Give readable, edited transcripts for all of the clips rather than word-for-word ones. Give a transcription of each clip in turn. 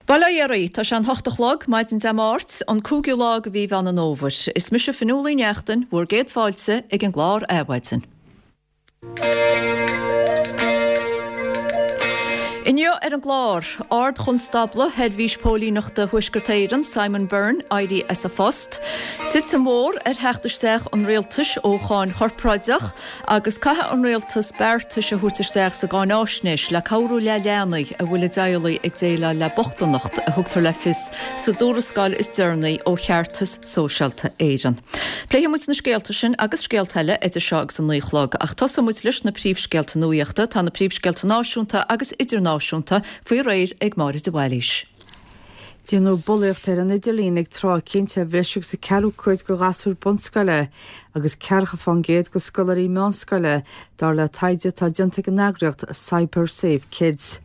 Bail ó Dhia oraibh, tá sé an hocht a chlog, maidin Dé Máirt, an cúigiú lá de mhí Mheán an Fhómhair. Is mise Fionnuala Uí Neachtain, bhur gcéad fáilte ag an gclár Adhmhaidin. Inniu ar an gclár, Ard-Chonstábla Sheirbhís Póilíneachta Thuaisceart Éireann, Simon Byrne, éirí as a phost, titim mhór ar theacht isteach an rialtais ó cháin chorparáideach, Agus caithfidh an rialtas beartais a thabhairt isteach sa gcáináisnéis le cabhrú le leanaí a bhfuil a dteaghlaigh ag déileáil le bochtaineacht, a thugtar le fios sa dtuarascáil is deireanaí ó Cheartas Sóisialta Éireann. Pléifidh muid na scéalta sin agus scéalta eile idir seo agus an 9 a chlog, ach tosóidh muid leis na príomhscéalta nuachta. Tá na príomhscéalta náisiúnta agus idirnáisiúnta faoi réir ag Máire de Bhailís. Déanadh bulaíocht ar an idirlíon ag tráth eicínt ar bhreis agus a ceathrú cuid de ghasúir bunscoile agus ceathracha fán gcéad de scoláirí meánscoile, dar le taighde atá déanta ag an eagraíocht Cyber Safe Kids.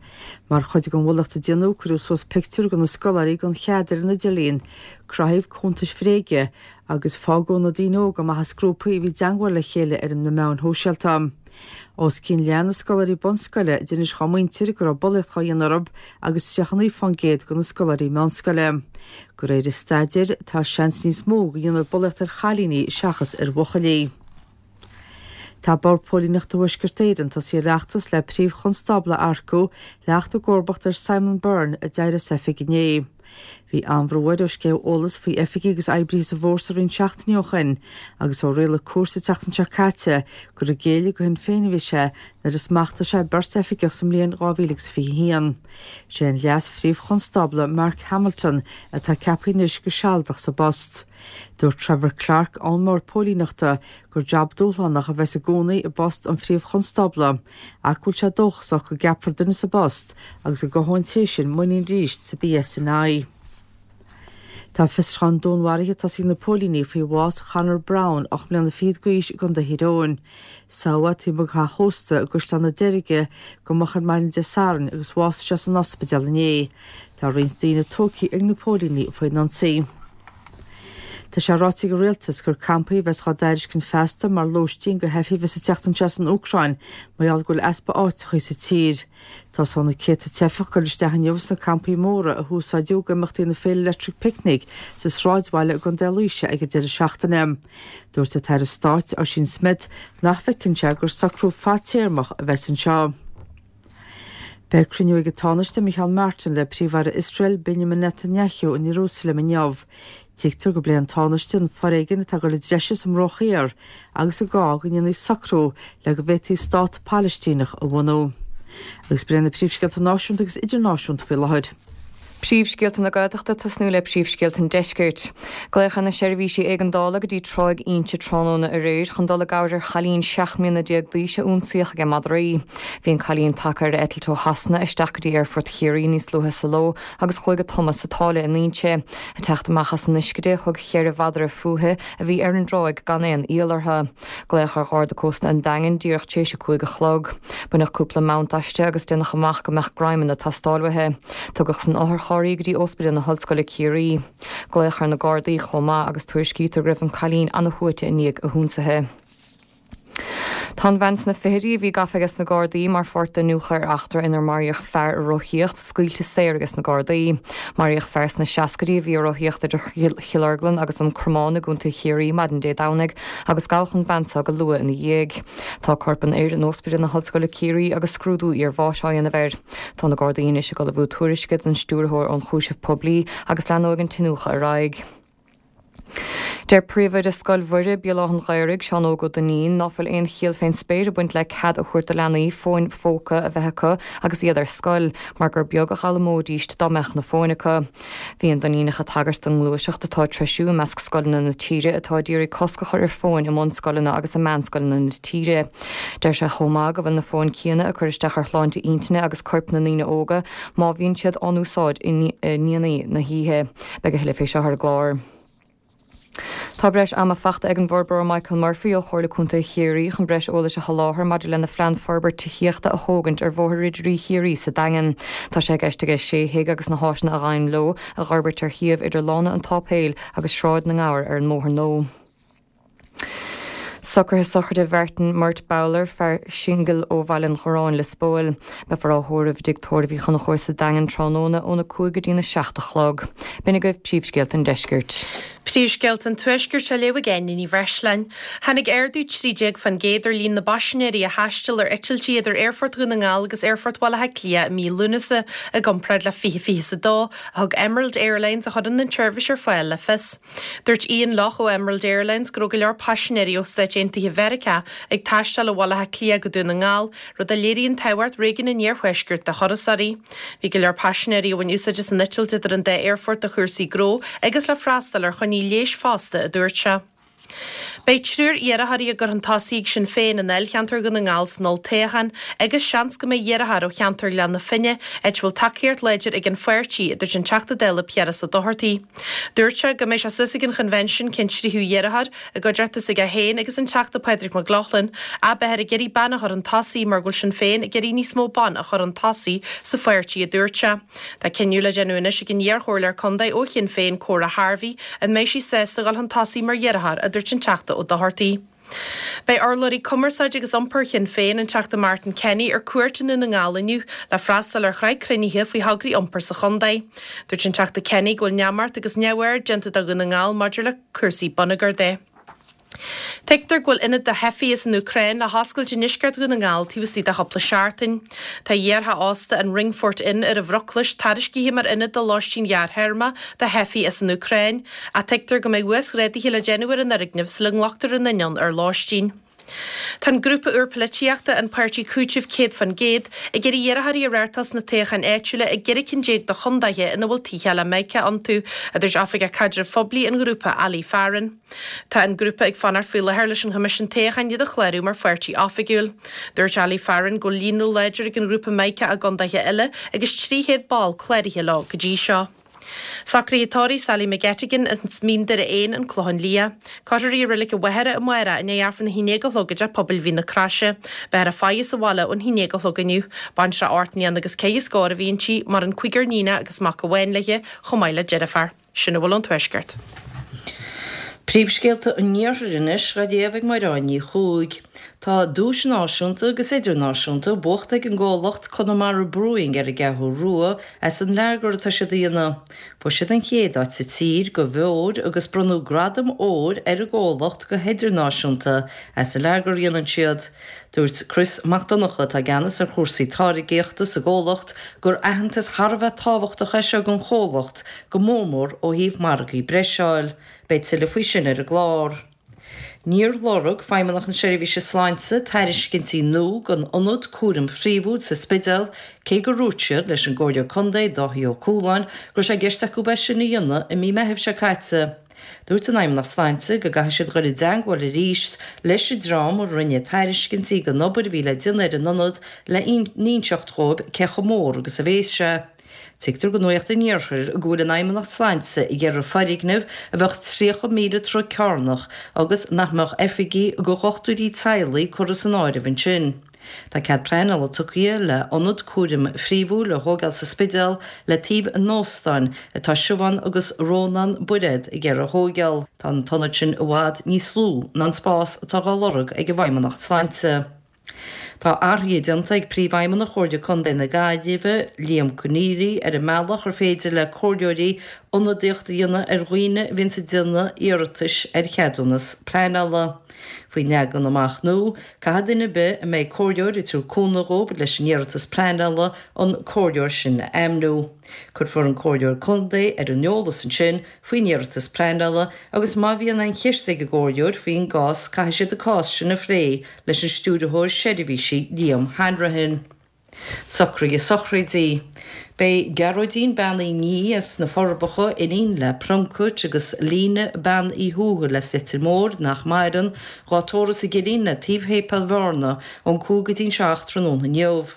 Mar chuid den bhulaíocht a déanadh, cuireadh suas pictiúir de na scoláirí gan chead ar an idirlíon, cruthaíodh cuntais bhréige agus fágadh na daoine óga amach as grúpaí a bhí i dteangmháil le chéile ar na meáin shóisialta. Os cionn leath na scoláirí bunscoile a d'inis dhá muintir go raibh bulaíocht dhá dhéanamh orthu agus 39% de na scoláirí meánscoile. De réir an staidéir, tá seans níos mó go ndéanfar bulaíocht ar chailíní seachas ar bhuachaillí. Tá Bord Póilíneachta Thuaisceart Éireann tosaithe ar fheachtas le Príomh-Chonstábla a earcú le theacht i gcomharbacht ar Simon Byrne a d'éirigh as oifig inné. Bhí an-bhrú air ó sceitheadh eolas faoi oifigigh agus oibrithe sa bhfórsa roinnt seachtainí ó shin agus ó rialaigh cúirt an tseachtain seo caite gur ag géilleadh do Shinn Féin a bhí sé nuair a smachtaigh sé beirt oifigeach sa mbliain 2021. Sé an Leas-Phríomh-Chonstábla Mark Hamilton atá ceaptha anois go sealadach sa bpost. Dúirt Trevor Clarke ón mBord Póilíneachta gur jab dúshlánach a bheas i gcónaí i bpost an Phríomh-Chonstábla ach go bhfuil sé dóchasach go gceapfar duine sa bpost agus go gcothóidh an té sin muinín arís sa PSNI. Tá fiosrúchán dúnmharaithe tosaithe ag na póilíní faoi bhás Chonor Browne, 8 mbliana fichead d'aois i gContae Thír Eoghain. Sádh é taobh amuigh de theach ósta i gCaisleán na Deirge go moch ar maidin Dé Sathairn agus bhásaigh sé san ospidéal inné. Tá roinnt daoine tógtha ag na póilíní faoin ionsaí. Tá sé ráite ag an Rialtas gur campaí a bheas dhá dtairiscint feasta mar lóistín do theifigh a bheas ag teacht anseo as an Úcráin mar gheall go bhfuil easpa áiteachaí sa tír. Tosóidh na céadta teifeach ag dul isteach inniu sna campaí móra a húsáideadh ag imeachtaí na Féile Electric Picnic sa sráidbhaile i gContae Laoise ag an deireadh seachtaine. Dúirt an tAire Stáit, Ossian Smyth, nach bhfeiceann sé gur socrú fadtéarmach a bheas anseo. Beidh cruinniú ag an Tánaiste Micheál Martin le Príomh-Aire Iosrael Benjamin Netanyahu in Iarúsailéim inniu. Tuigtear go bpléifidh an Tánaiste an foréigean atá ag dul i dtreise sa mBruach Thiar agus an gá go ndéanfaí socrú le go bhféadfaí stát Palaistíneach a bhunú. Agus b'in iad na príomhscéalta náisiúnta agus idirnáisiúnta faoi láthair. Príomhscéalta na Gaeltachta tosnú le príomhscéalta an Deiscirt. Glaodh ar na seirbhísí éigeandála go dtí Tráigh Inse tráthnóna aréir chun dul i gcabhair ar chailín 17 mbliana d'aois a ionsaíodh ag madraí. Bhí an cailín tagtha ar eitilt ó Shasana isteach go dtí Aerfort Chiarraí níos luaithe sa ló agus chuaigh ag tumadh sa tsáile in Inse. Ag teacht amach as an uisce di, thug cheithre mhadra fúithi a bhí ar an dtráigh gan aon iall orthu. Glaodh ar Gharda Cósta an Daingin díreach tar éis a 5 a chlog. Baineadh cúpla mount aisti agus déanadh amach go mbeadh greim ag teastáil uaithi. Tugadh san otharcharr í go dtí Ospidéal na hOllscoile Ciarraí. Glaodh ar na Gardaí chomh maith agus tuairiscítear go raibh an cailín ana-shuaite i ndiaidh a hionsaithe. Tá an bhean sna fichidí a bhí gafa ages na Gardaí mar pháirt d'iniúchadh ar eachtra inar maraíodh fear ag rothaíocht, scaoilte saor ages na Gardaí. Maraíodh fear sna seascaidí a bhí ag rothaíocht idir Chill Orglan agus an Cromán i gContae Chiarraí maidin Dé Domhnaigh agus gabhadh an bhean seo go luath ina dhiaidh. Tá corp an fhir in Ospidéal na hOllscoile Ciarraí agus scrúdú iarbháis á dhéanamh air. Tá na Gardaí anois ag ullmhú tuairisce don Stiúrthóir Ionchúiseamh Poiblí agus leanóidh an t-iniúchadh ar aghaidh. Deir Príomhoide Scoil Mhuire, Béal Átha'n Ghaorthaidh, Seán Óg Ó Duinnín, ná fuil aon chiall fén spéir ag baint le cead a thabhairt do leanaí fóin phóca a bheith acu agus iad ar scoil, mar gur beag a dh'fhoghlaimeoidíst dá mbeadh na fóin acu. Bhí an Duinníneach ag tagairt don ngluaiseacht atá ag treisiú i measc scoileanna na tíre atá ag iarraidh cosc a chur ar fóin i mbunscoileanna agus i meánscoileanna na tíre. Deir sé chomh maith go bhfuil na fóin céanna ag cur isteach ar shláinte intinne agus coirp na ndaoine óga má bhíonn siad á n-úsáid i ndéanaí na hoíche. Beidh a thuilleadh fé seo ar an gclár. Tá breis ama fachta ag an bhforbróir Michael Murphy ó Chomhairle Contae Chiarraí chun breis eolais a sholáthar maidir lena phlean forbairt tithíochta a thógaint ar Bhóthar Ridirí Chiarraí sa Daingean. Tá sé i gceist aige sé thigh agus na háiseanna a ghabhann leo a dh'fhorbairt ar shuíomh idir Lána an tSáipéil agus Sráid na nGabhar ar an mBóthar Nua. Socruithe sochraide Mhartin Murt Bowler, fear singil ó Bhaile an Chorráin, Lios Póil. Beifear á thórramh i dTigh Tórraimh Uí Chonchúir sa Daingean tráthnóna óna 5 go dtína 7 a chlog. B'in agaibh príomhscéalta an deiscirt. Príomhscéalta an Tuaiscirt á léamh ag Áine Ní Bhreisleáin. Tháinig ardú 13% ar líon na bpaisinéirí a thaistil ar eitiltí idir Aerfort Dhún na nGall agus Aerfort Bhaile Átha Cliath i mí Lúnasa i gcomparáid le 2022, a thug Emerald Airlines, a chuireann an tseirbhís ar fáil, le fios. Dúirt Ian Lough ó Emerald Airlines go raibh go leor paisinéirí ó Stáit Aontaithe Mheiriceá ag taisteal ó Bhaile Átha Cliath go Dún na nGall, rud a léiríonn tábhacht réigiún an iarthuaiscirt do thurasóirí. Bhí go leor paisinéirí a bhain úsáid as an eitilt idir an dá aerfort do chúrsaí gnó agus le freastal ar choinní leighis fosta, a dúirt sé. Beidh triúr iarrthóirí á gcur chun tosaigh ag Sinn Féin i ndáilcheantar Dhún na nGall san olltoghchán agus seans go mbeidh iarrthóir ó cheantar Ghleann na Finne, áit a bhfuil tacaíocht láidir ag an pháirtí, a dúirt an Teachta Dála Piaras Ó Dochartaigh. Dúirt sé go mbeidh sé suas ag an choinbhinsiún cén tríú iarrthóir i gcuideachta s'aige féin agus an Teachta Pádraig Mac Lochlainn, ach beifear ag iarraidh bean a chur chun tosaigh mar go bhfuil Sinn Féin ag iarraidh níos mó ban a chur chun tosaigh sa pháirtí, a dúirt sé. Tá cinneadh le déanamh anois ag an iarchomhairleoir contae ó Shinn Féin, Cora Harvey, an mbeidh sí sásta dhul chun tosaigh mar iarrthóir, a dúirt an Teachta Ó Dochartaigh. Beidh urlabhraí cumarsáide agus iompair Shinn Féin, an Teachta Martin Kenny, ar cuairt i nDún na nGall inniu le freastal ar shraith cruinnithe faoi thograí iompair sa chontae. Dúirt an Teachta Kenny go bhfuil neamart agus neamhaird déanta de Dhún na nGall maidir le cúrsaí bonneagair de. Tuigtear go bhfuil ionad do theifigh as an Úcráin le hoscailt i ndeisceart Dhún na nGall taobh istigh de chúpla seachtain. Tá iartheach ósta an Ringfort Inn ar an Bhruclais tairiscithe mar ionad do lóistín ghearrthéarma do theifigh as an Úcráin, ach tuigtear go mbeidh uasghráduithe le déanamh ar an fhoirgneamh sula nglactar aon duine ann ar lóistín. Tá an grúpa úr polaitíochta, an Páirtí Cúitimh 100%, ag iarraidh iarrthóirí a reáchtáil sna toghcháin áitiúla i gceithre cinn déag de chondaetha ina bhfuil tithe eile Meiceá iontu, a dúirt Oifigeach Caidrimh Phoiblí an ghrúpa, Ali Farren. Tá an grúpa ag fanacht faoi láthair leis an Choimisiún Toghcháin iad a chlárú mar pháirtí oifigiúil. Dúirt Ali Farren go bhfuil líonra láidir ag an ghrúpa Meiceá i gcondaetha eile agus 300 ball cláraithe leo go dtí seo. Socruithe tórraimh Sally McGettigan as Mín Doire 1, An Clochán Liath. Cuirfear í i Reilig an Mhachaire amárach i ndiaidh Aifreann a haon déag a chlog i dTeach Pobail Mhín na Croise. Beifear ag faire sa bhaile ón haon déag a chlog inniu. Baintreach 8 mbliana agus ceithre scór a bhí inti, maireann cúigear níonach agus mac amháin léi, chomh maith le deirfiúr. Sin a bhfuil ón Tuaisceart. Príomhscéalta an Iarthair anois á léamh ag Máireáin Ní Chuaig. Tá duais náisiúnta agus idirnáisiúnta buachta ag an gcomhlacht Conamara Brewing ar an gCeathrú Rua as an lager atá siad a dhéanamh. Fuair siad an chéad áit sa tír do bheoir agus bronnadh gradam óir ar an gcomhlacht go hidirnáisiúnta as an lager a dhéanann siad. Dúirt Chris Mac Donncha, atá i gceannas ar chúrsaí táirgíochta sa gcomhlacht, gur aitheantas thar a bheith tábhachtach é seo don chomhlacht, go mór mór ó thaobh margaí breise a fháil. Beidh tuilleadh faoi sin ar an gclár. Níor lorg Feidhmeannacht na Seirbhíse Sláinte tairiscintí nua don ionad cúraim phríomhúil sa Spidéal, cé gur dhúirt siad leis an gComhairleoir Contae Dáithí Ó Cualáin go raibh sé i gceist acu é sin a dhéanamh i mí Meithimh seo caite. Dúirt an Fheidhmeannacht Sláinte go gcaithfidh siad dhul i dteangmháil arís leis an dream a rinne tairiscintí don obair a bhí le déanamh ar an ionad le n-inseacht dhóibh cé chomh mór agus a bhéas sé. Tuigtear do Nuacht an Iarthair go bhfuil an Fheidhmeannacht Sláinte ag iarraidh foirgneamh a bheadh 30,000 troigh cearnach agus nach mbeadh oifigí do dhochtúirí teaghlaigh curtha san áireamh ansin. Tá cead pleanála tugtha le ionad cúraim phríomhúil a thógáil sa Spidéal le taobh an óstáin atá Siobhán agus Rónán Bairéad ag iarraidh a thóigeáil. Tá an t-ionad sin i bhfad níos lú ná an spás atá dhá lorg ag an bhFeidhmeannacht Sláinte. Tá athruithe déanta ag Príomhfheidhmeannach Chomhairle Contae na Gaillimhe, Liam Conneally, ar an mbealach ar féidir le comhairleoirí ionadaíocht a dhéanamh ar dhaoine a bhíonns ag déanamh iarratais ar cheadúnas pleanála. Faoin leagan amach nua, caithfidh duine ar bith a mbeidh comhairleoir ag tabhairt cúnamh dhóibh leis an iarratas pleanála an comhairleoir sin a ainmniú. Cuirfear an comhairleoir contae ar an eolas ansin faoin iarratas pleanála agus má bhíonn aon cheist ag an gcomhairleoir faoin gcás caithfidh siad an cás sin a phlé leis an Stiúrthóir Seirbhísí Liam Hanrahan. Socruithe sochraide. Beidh Gearóidín Bean Uí Ní as na Forbacha, iníon le Plunkett agus Lena Bean Uí Thuathail as Leitir Móir, nach maireann, dhá tórramh sa gCillín le taobh Shéipéal Bhearna ón 5 go dtí'n 7 tráthnóna inniu.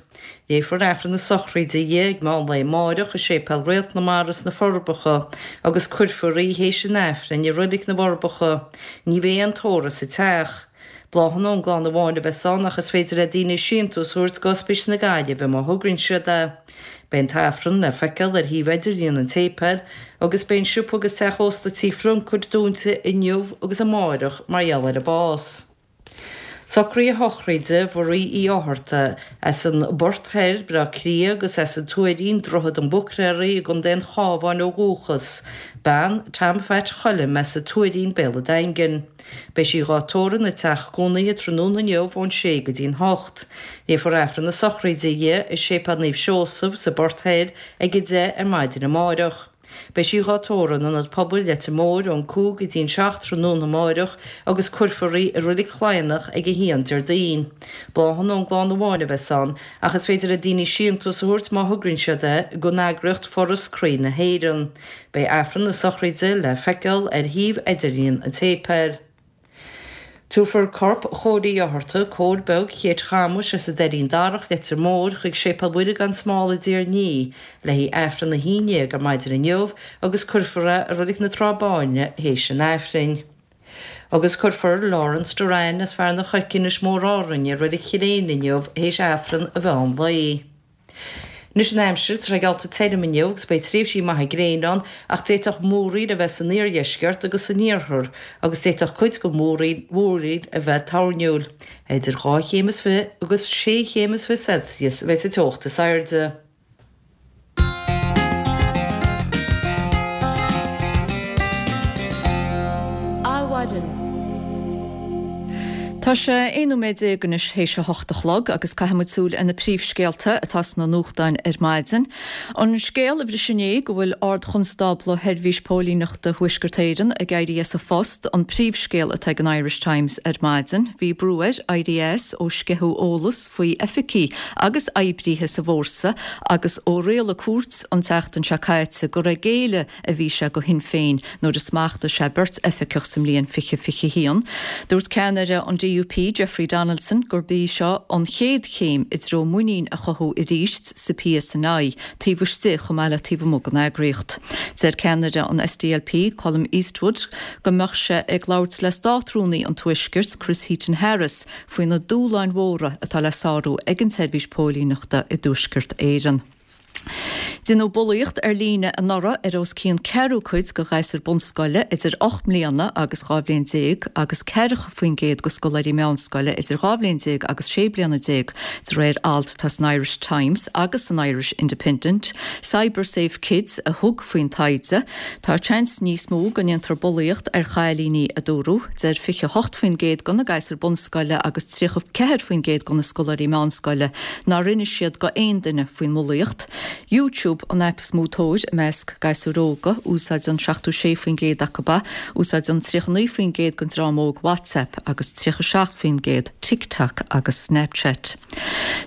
Léifear Aifreann na sochraide di ag meán lae amáireach i Séipéal Réalt na Mara sna Forbacha agus cuirfear í théis an Aifrinn i Roilig na bhForbacha. Ní bheidh aon tórramh sa teach. Bláthanna ón gclann amháin a bheas ann ach is féidir le daoine síntiús a thabhairt d'Ospís na Gaillimhe má thograíonn siad é. Beidh an t-aifreann le feiceáil ar shuíomh idirlíon an tséipéil agus beidh an siopa agus teach ósta Tí Phluncaid dúnta inniu agus amáireach mar gheall ar a bás. Socruithe a shochraide Mhuirí Uí Fhátharta, as an bPort Thoir, Baile Átha Cliath agus as an Tuairín, Droichead an Bhuicléaraigh i gContae an Chabháin ó dhúchas, bean Tom Phat Choilm as an Tuairín, Béal an Daingin. Beidh sí dhá tórramh ina teach cónaithe tráthnóna inniu ón sé go dtí'n hocht. Léifear Aifreann na sochraide di i Séipéal Naomh Seosamh sa bPort Thoir ag 10 ar maidin amáireach. Beidh sí dhá tórramh in Ionad Pobail Leitir Móir ón 5 go dtí'n 7 tráthnóna amáireach agus cuirfear í i Roilig Chladhnach ag 1 Déardaoin. Bláthanna ón gclann amháin a bheas ann ach is féidir le daoine síntiús a thabhairt má thograíonn siad é don eagraíocht Foras Croí na hÉireann. Beidh Aifreann na sochraide le feiceáil ar shuíomh idirlíon an tséipéil. Tabharfar corp Chóil Uí Fhátharta, Cóil Beag Chéit Chamais as an Doirín Darach, Leitir Móir, chuig Séipéal Mhuire gan Smál i dTír an Fhia le haghaidh Aifreann a haon dhéag ar maidin inniu agus cuirfear é i Reilig na Trá Báine théis an Aifrinn. Agus cuirfear Laurence Doran as Fearann an Choirce, Inis Mór Árainn i Reilig Chill Éinde inniu théis Aifreann an mheán lae. Anois an aimsir, tá sé geallta tirim inniu agus beidh tréimhsí maithe gréine ann ach d'fhéadfadh múraíl a bheith san iardheisceart agus san iarthar agus d'fhéadfadh cuid den mhúraíl a bheith toirniúil. Idir 2 chéim is 20 agus 6 chéim is 20 Celsius a bheidh sa teocht is airde. Adhmhaidin. Tá sé 11 nóiméad anois théis a hocht a chlog agus caithfidh muid súil ar na príomhscéalta atá sna nuachtáin ar maidin. An scéal a bhris inné go bhfuil Ard-Chonstábla Sheirbhís Póilíneachta Thuaisceart Éireann ag éirí as a phost an príomhscéal atá ag an Irish Times ar maidin. Bhí brú air éirí as ó sceitheadh eolas faoi oifigigh agus oibríthe sa bhfórsa agus ó rialaigh cúirt an tseachtain seo caite gur ag géilleadh a bhí sé do Shinn Féin nuair a smachtaigh sé beirt oifigeach sa mbliain 2021. Dúirt ceannaire an DUP, Jeffrey Donaldson, gurb í seo an chéad chéim i dtreo muinín a chothú arís sa PSNI, taobh istigh chomh maith le taobh amuigh den eagraíocht. Deir ceannaire an SDLP, Colum Eastwood, go mbeadh sé ag labhairt le Státrúnaí an Tuaiscirt, Chris Heaton-Harris, faoi na dúshláin mhóra atá le sárú ag an tseirbhís póilíneachta i dTuaisceart Éireann. Deineadh bulaíocht ar líne anuraidh ar os cionn ceathrú cuid de ghasúir bunscoile idir 8 mbliana agus 12 bhliain agus 40% de scoláirí meánscoile idir 12 bhliain agus 16 bliana, de réir alt atá san Irish Times agus san Irish Independent. CyberSafe Kids a thug faoin taighde. Tá seans níos mó go ndéantar bulaíocht ar chailíní, a dúradh. Deir 28% de na gasúir bunscoile agus 34% de na scoláirí meánscoile nár inis siad go aon duine faoin mbulaíocht. YouTube an aip is mó tóir i measc gasúir óga, úsáideann 76% acu é, úsáideann 39% den dream óg WhatsApp agus 37% TikTok agus Snapchat.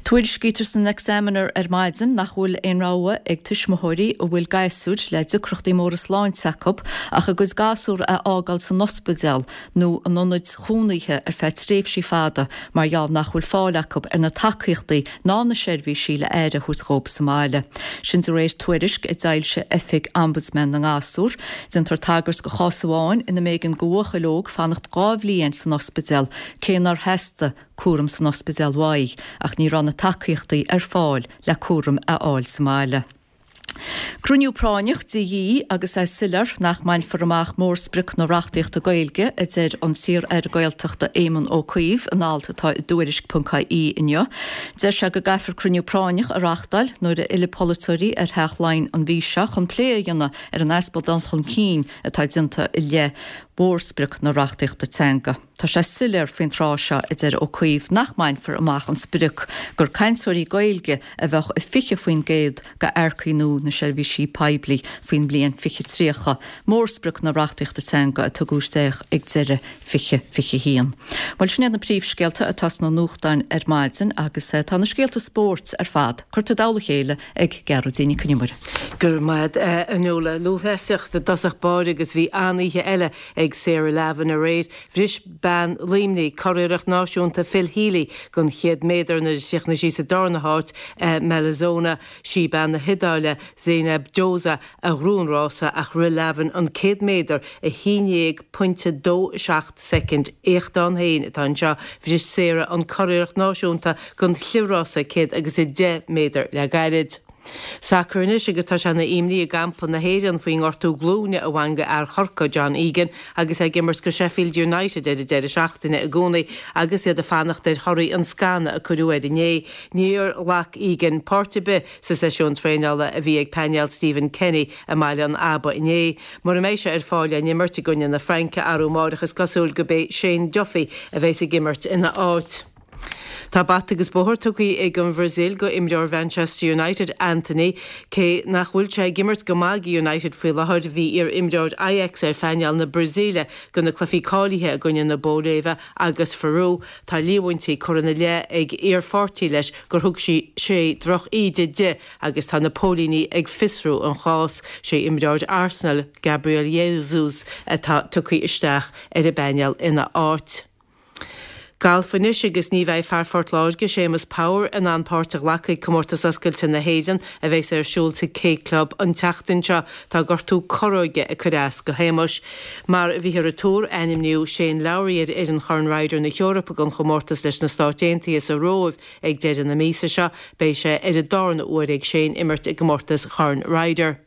Tuairiscítear san Examiner ar maidin nach bhfuil aon rogha ag tuismitheoirí a bhfuil gasúir le deacrachtaí móra sláinte acu ach a gcuid gasúr a fhágáil san ospidéal nó in ionaid chónaithe ar feadh tréimhsí fada mar gheall nach bhfuil fáil acu ar na tacaíochtaí ná na seirbhísí le aire a thabhairt dhóibh sa mbaile. Sin de réir tuairisc a d'fhoilsigh Oifig Ombudsman na nGasúr. Déantar tagairt do chás amháin ina mb'éigean do bhuachaill óg fanacht 2 bhliain san ospidéal cé nár theastaigh cúram san ospidéal uaidh ach ní raibh na tacaíochtaí ar fáil le cúram a fháil sa mbaile. Cruinniú práinneach de dhíth agus é soiléir nach mbainfear amach mórsprioc na reachtaíochta Gaeilge, a deir an t-iar-aire Gaeltachta Éamon Ó Cuív in alt atá i dTuairisc.ie inniu. Deir sé go gcaithfear cruinniú práinneach a reáchtáil nuair a fhillfidh polaiteoirí ar Theach Laighean an mhí seo chun plé a dhéanamh ar an easpa dul chun cinn atá déanta i leith mhórsprioc na reachtaíochta teanga. Tá sé soiléir faoin tráth seo, a deir Ó Cuív, nach mbainfear amach an sprioc gur cainteoirí Gaeilge a bheadh i 20% d'earcaigh nua na seirbhísí poiblí faoin mbliain 2030, mórsprioc na reachtaíochta teanga a tugadh isteach ag deireadh 2021. Bhuel, sin iad na príomhscéalta atá sna nuachtáin ar maidin agus tá na scéalta spóirt ar fad curtha i dtoll a chéile ag Gearóidín Nic Con Iomaire. Go raibh maith agat, a Nuala. Lúthchleasaíocht i dtosach báire agus bhí an-oíche eile ag Sarah Lavin aréir. Bhris bean Luimnigh curiarracht náisiúnta Phil Healy don chéad méadar nuair a chríochnaigh sí sa darna háit i mBellinzona. Sí bean na hIodáile, Zeinab Doza, a ghnóthaigh an rása ach rith Lavin an 100 méadar i 11.27 soicind. Éacht ann féin atá anseo. Bhris Sarah an curiarracht náisiúnta don chliathrás 100 agus 10 méadar le gairid. Sacar anois agus tá sé ina imní i gcampa na hÉireann faoin ngortú glúine a bhain go fhear Chorcaí, John Egan, agus é ag imirt go Sheffield United ar an deireadh seachtaine i gcónaí agus iad ag fanacht ar thorthaí an scanadh a cuireadh air inné. Níor ghlac Egan páirt ar bith sa seisiún traenála a bhí ag painéal Stephen Kenny i mBaile an Aba inné. Mura mbeidh sé ar fáil le n-imirt i gcoinne na Fraince arú amáireach is cosúil gurb é Shane Duffy a bheas ag imirt ina áit. Tá bata agus bóthar tugtha ag an Bhrasaíl go imreoir Mhanchester United, Antony. Cé nach bhfuil sé ag imirt go maith go United faoi láthair, bhí iar-imreoir Ajax ar phainéal na Brasaíle go na cluichí cáilithe i gcoinne na Bóiléive agus Pheru. Tá líomhaintí curtha ina leith ag iar-pháirtí leis gur thug sí sé droch-íde di agus tá na póilíní ag fiosrú an chás. Sé imreoir Arsenal, Gabriel Jesus atá tugtha isteach ar an bpainéal ina áit. Galf anois agus ní bheidh fear Phort Láirge, Séamus Power, in ann páirt a ghlacadh ag Comórtas Oscailte na hÉireann a bheas ar siúl sa K Club an tseachtain seo. Tá gortú corróige ag cur as go Shéamuis. Mar a bhíthear ag tuar, ainmníodh Shane Lowry ar fhoireann Chorn Ryder na hEorpa don chomórtas leis na Stáit Aontaithe sa Róimh ag deireadh na míosa seo. Beidh sé ar an darna huair ag Shane imirt i gcomórtas Chorn Ryder.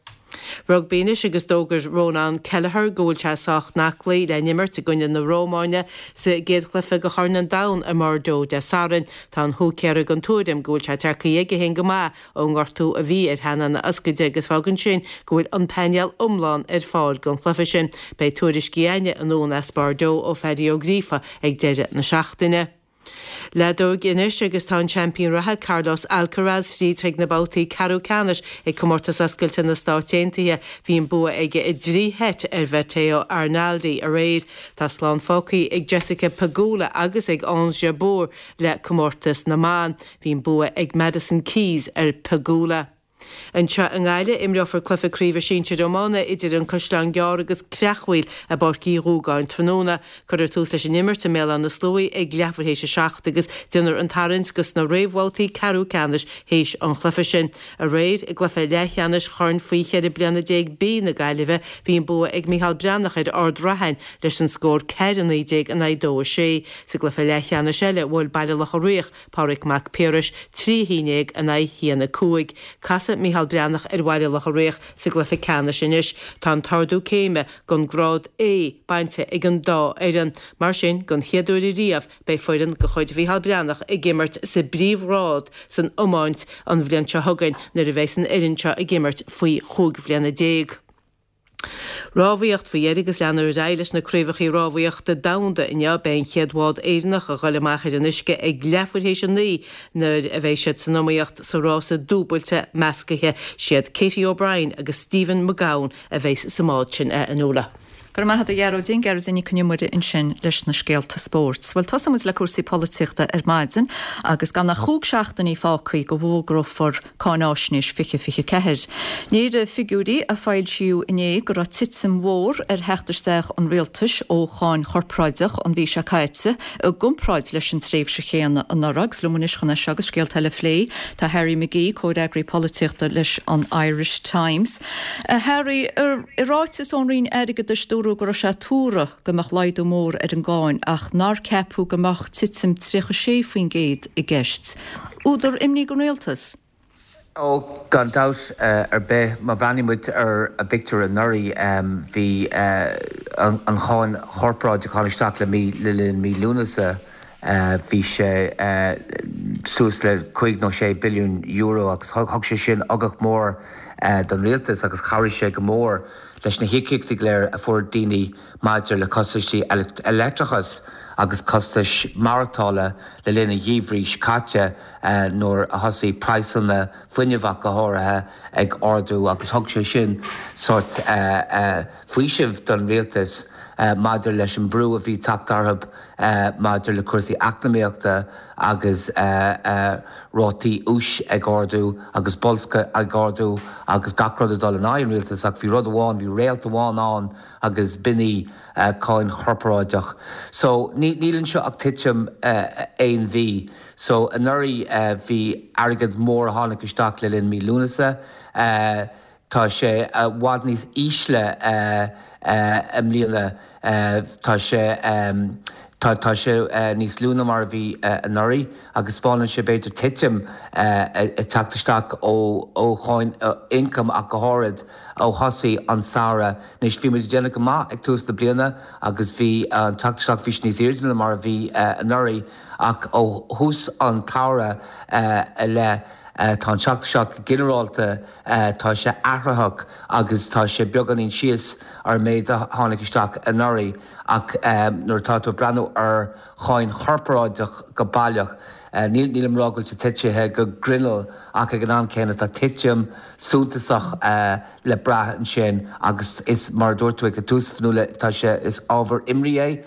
Rugbaí anois agus d'fhógair Rónán Kelleher go bhfuil sé sách aclaí le n-imirt i gcoinne na Rómáine sa gcéad chluiche de Chorn an Domhain i mBordeaux Dé Sathairn. Tá an húicéara den tuairim go bhfuil sé tearcaithe aige féin go maith ón ngortú a bhí ar theannán a ioscaide agus fágann sin go bhfuil an painéal iomlán ar fáil don chluiche sin. Beidh tuairiscí againne anonn as Bordeaux ó Phaddy Ó Gríofa ag deireadh na seachtaine. Leadóg anois agus tá an seaimpín reatha Carlos Alcaraz fríd chuig na babhtaí ceathrú ceannais ag Comórtas Oscailte na Stáit Aontaithe. Bhí an bua aige i dtrí sheit ar Matteo Arnaldi aréir. Tá slán fágtha ag Jessica Pegula agus ag Ons Jabeur le comórtas na mban. Bhí an bua ag Madison Keys ar Pegula. Anseo i nGaillimh, imreofar cluiche craoibhe sinsir iomána idir An Caisleán Gearr agus Creachmhaoil i bPáirc Uí Dhúgáin tráthnóna. Cuirfear tús leis an imirt i mBéal Átha na Sluaighe ag leathuair théis a 7 agus déanfar an tarraingt dos na réamhbhabhtaí ceathrú ceannais théis an chluiche sin. Aréir, i gcluiche leathcheannais Chorn Faoi 14 bliana B na Gaillimhe, bhí an bua ag Micheál Breathnach ar Ard Rathain leis an scór 4-19 in aghaidh 2-6. Sa gcluiche leathcheannais eile, bhuail Baile Locha Riach Pádraig Mac Piarais, 3 1 in aghaidh 1 5. Casfaidh Micheál Breathnach ar Bhaile Locha Riach sa gcluiche ceannais anois. Tá an t-ardú céime don grád A bainte ag an dá fhoireann. Mar sin, don chéad uair ariamh, beidh foireann de chuid Mhicheál Breathnach ag imirt sa bpríomhghrád san iomáint an bhliain seo chugainn nuair a bheas an fhoireann seo ag imirt faoi chúig bhliana déag. Rámhaíocht faoi dheireadh agus leanfar ar aghaidh leis na craobhacha rámhaíochta domhanda inniu. Beidh an chéad bhád Éireannach a dhul amach ar an uisce ag leathuair théis a 9 nuair a bheidh siad san iomaíocht sa rása dúbailte meascaithe. Siad Katie O'Brien agus Stephen McGowan a bheas sa mbád sin, a Fhionnuala. Go raibh maith agat a Ghearóidín, Gearóidín Nic Con Iomaire ansin leis na scéalta spóirt. Bhuel, tosóidh muid le cúrsaí polaitíochta ar maidin agus gan ach chúig seachtainí fágtha go bhfógrófar Cáináisnéis 2024. Léirigh figiúirí a foilsíodh inné go raibh titim mhór ar theacht isteach an rialtais ó cháin chorparáideach an mhí seo caite i gcomparáid leis an tréimhse chéanna anuraidh. Agus liom anois chun é seo agus scéalta eile a phlé tá Harry McGee, comhfhreagraí polaitíochta leis an Irish Times. A Harry, i ráiteas ón Roinn Airgeadais dúradh go raibh sé tuartha go mbeadh laghdú mór ar an gcáin ach nár ceapadh go mbeadh titim 36% i gceist. Údar imní don rialtas? Ó, gan dabht ar bith. Má bhreathnaíonn muid ar an bpictiúr anuraidh, bhí an cháin chorparáideach a tháinig isteach le mí, le linn mí Lúnasa, bhí sé suas le cúig nó sé billiún euro agus thug sé sin ugach mór don rialtas agus chabhraigh sé go mór leis na híocaíochtaí go léir a fuair daoine maidir le costaisí leictreachais agus costais maireachtála le linn an gheimhridh seo caite nuair a thosaigh praghsanna fuinnimh ach go háirithe ag ardú agus thug sé sin sórt faoisimh don rialtas maidir leis an brú a bhí ag teacht orthu maidir le cúrsaí eacnamaíochta agus rátaí úis ag ardú agus boilsciú ag ardú agus gach rud ag dul in aghaidh an rialtais ach bhí rud amháin, bhí réalt amháin ann agus b'in í cáin chorparáideach. So níl anseo ach titim aon mhí. So anuraidh bhí airgead mór a tháinig isteach le linn mí Lúnasa. Tá sé i bhfad níos ísle i mbliana. Tá sé. Tá tá sé níos lú ná mar a bhí anuraidh agus spáineann sé b'fhéidir titim ag teacht isteach ó ó cháin ioncaim ach go háirid ó thosaigh an samhradh. Anois bhí muid ag déanamh go maith ag tús na bliana agus bhí an teacht isteach bhí sé níos airde ná mar a bhí anuraidh ach ó thús an tsamhraidh i leith tá an teacht isteach go ginearálta tá sé athraitheach agus tá sé beagáinín síos ar an méid a tháinig isteach anuraidh. Ach nuair atá tú ag breathnú ar cháin chorparáideach go baileach, nílim ag rá go bhfuil sé titithe go grinneall ach ag an am céanna tá titim suntasach le brath ansin agus is mar a dúirt tú ag an tús, Fionnuala, tá sé, is ábhar imní é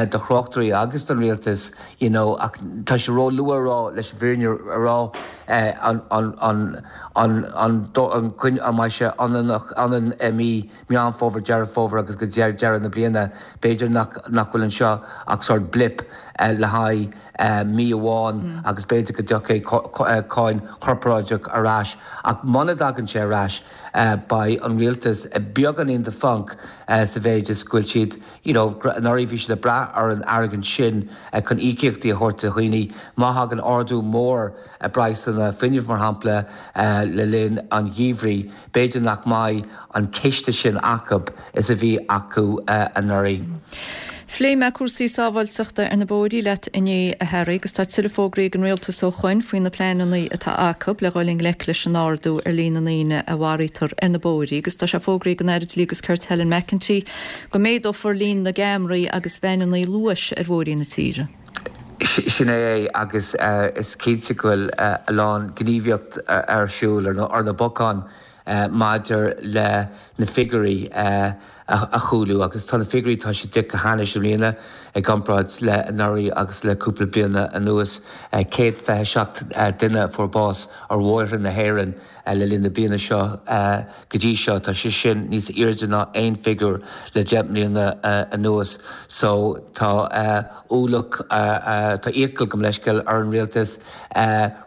do thráchtairí agus don rialtas you know ach tá sé ró-luath a rá leis an bhfírinne a rá an an an an an an mbeidh sé ionann i mí Meán Fómhair, Deireadh Fómhair agus go deireadh na bliana. B'fhéidir nach nach bhfuil anseo ach sórt blip le haghaidh mí amháin agus b'fhéidir go dtiocfaidh cáin chorparáideach ar ais. Ach muna dtagann sé ar ais beidh an rialtas beagáinín de phonc sa mhéid is go bhfuil siad you know anuraidh bhí siad ag brath ar an airgead sin chun íocaíochtaí a thabhairt do dhaoine. Má thagann ardú mór i bpraghsanna fuinnimh mar shampla le linn an gheimhridh, B'fhéidir nach mbeidh an ciste sin acu is a bhí acu anuraidh. Phléigh mé cúrsaí sábháilteachta ar na bóithrí leat inné, a Harry, agus tá tuilleadh fógraí ag an Rialtas ó shoin faoi na pleananna atá acu le dhul i ngleic leis an ardú ar líon na ndaoine a mharaítear ar na bóithrí agus tá sé fógraithe ag an Aire Dlí agus Cirt Helen McEntee go méadófar líon na gceamaraí agus veaineanna luais ar bhóithrí na tíre. Sin é é agus is cinnte go bhfuil a lán gníomhaíocht ar siúl ar na bacáin maidir le na figiúirí a chúlú agus tá na figiúirí, tá siad go hainnis i mbliana i gcomparáid le anuraidh agus le cúpla bliana anuas. 127 duine a fuair bás ar bhóithre na hÉireann le linn na bliana seo go dtí seo. Tá sé sin níos airde ná aon figiúr le 10 mbliana anuas. So tá ualach, tá iachall, gabh mo leithscéal, ar an rialtas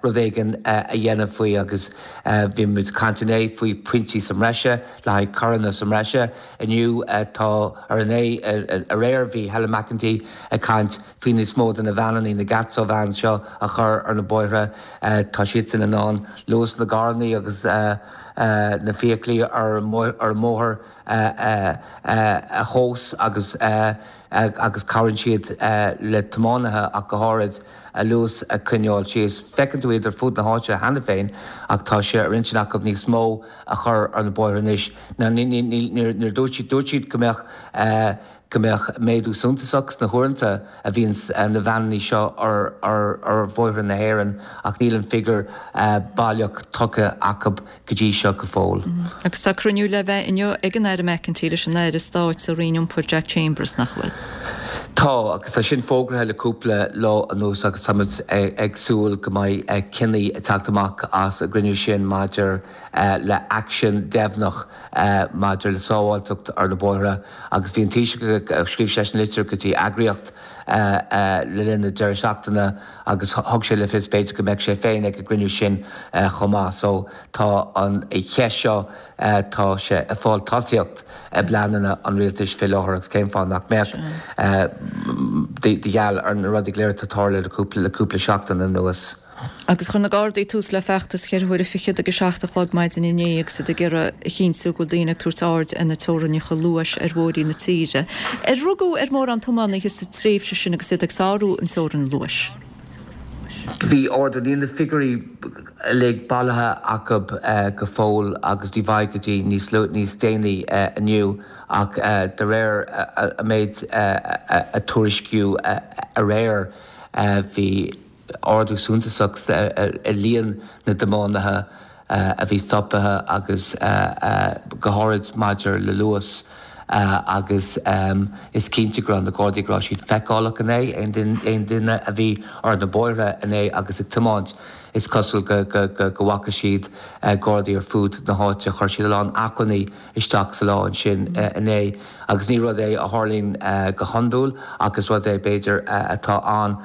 rud éigin a dhéanamh faoi agus bhí muid ag caint inné faoi pointí sa mbreise le haghaidh coireanna sa mbreise. Inniu tá ar inné, aréir bhí Helen McEntee ag caint faoi níos mó de na veaineanna, na Gatso vans seo a chur ar na bóithre. Tá siadsan in ann luas na gcarranna agus na feithiclí ar an mbóthar a thomhas agus agus cabhraíonn siad le tiománaithe ach go háirid a luas a choinneáil síos. Feiceann tú iad ar fud na háite cheana féin ach tá sé ar intinn acu níos mó a chur ar na bóithre anois. Níor dúirt siad, dúirt siad go mbeadh go mbeadh méadú suntasach sna huaireanta a bhíonn na veaineanna seo ar bhóithre na hÉireann ach níl an figiúr baileach tugtha acu go dtí seo go fóill. Agus tá cruinniú le bheith inniu ag an Aire McEntee leis an Aire Stáit sa Roinn Iompair Jack Chambers, nach bhfuil? Tá, agus tá sin fógraithe le cúpla lá anuas agus tá muid ag súil go mbeidh cinní ag teacht amach as an gcruinniú sin maidir le aicsean deimhneach maidir le sábháilteacht ar na bóithre agus bhí an Taoiseach, scríobh seisean litir go dtí eagraíocht le linn na deireadh seachtaine agus thug sé le fios b'fhéidir go mbeadh sé féin ag an gcruinniú sin chomh maith. So tá an cheist seo, tá sé ag fáil tosaíocht i bpleananna an rialtais fé láthair agus cén fáth nach mbeadh de gheall ar na rudaí go léir atá ag tarlú le cúpla seachtain anuas. Agus chuir na Gardaí tús le feachtas cheithre huaire fichead ag a 7 a chlog maidin inné agus iad ag iarraidh a chinntiú go bhfuil daoine ag tabhairt aird ar na teorainneacha luais ar bhóithrí na tíre. Ar rugadh ar mhórán tiománaithe sa tréimhse sin agus iad ag sárú an teorainn luais? Bhí ardú, níl na figiúirí uilig bailithe acu go fóill agus ní bheidh go dtí níos níos déanaí inniu ach de réir an méid a tuairiscíodh aréir bhí ardú suntasach i líon na dtiománaithe a bhí stoptha agus go háirid maidir le luas agus is cinnte go raibh na Gardaí go raibh siad feiceálach inné, aon duine a bhí ar na bóithre inné agus ag tiomáint is cosúil go bhfaca siad Gardaí ar fud na háite. Chuir siad a lán acmhainní isteach sa lá ansin inné agus ní rud é a tharlaíonn go hiondúil ach is rud é b'fhéidir atá ann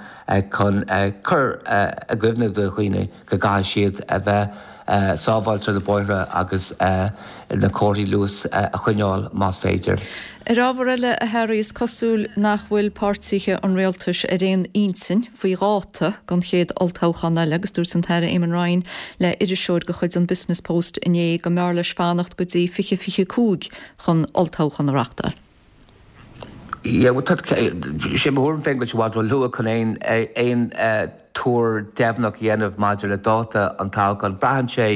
chun cur i gcuimhne do dhaoine go gcaithfidh siad a bheith. sábháilte ar na bóithre agus na comharthaí luais a choinneáil más féidir. Ar ábhar eile, a Harry, is cosúil nach bhfuil páirtithe an rialtais ar aon intinn faoi dháta don chéad olltoghchán eile agus dúirt an tAire Eamon Ryan le iriseoir de chuid an Business Post inné go mb'fhearr leis fanacht go dtí 2025 chun olltoghchán a reachtáil. Yeah, bhuel, tá, sé mo thuairim féin go bhfuil sé i bhfad ró-luath chun aon, aon tuar deimhneach a dhéanamh maidir le dáta an toghcháin. Braitheann sé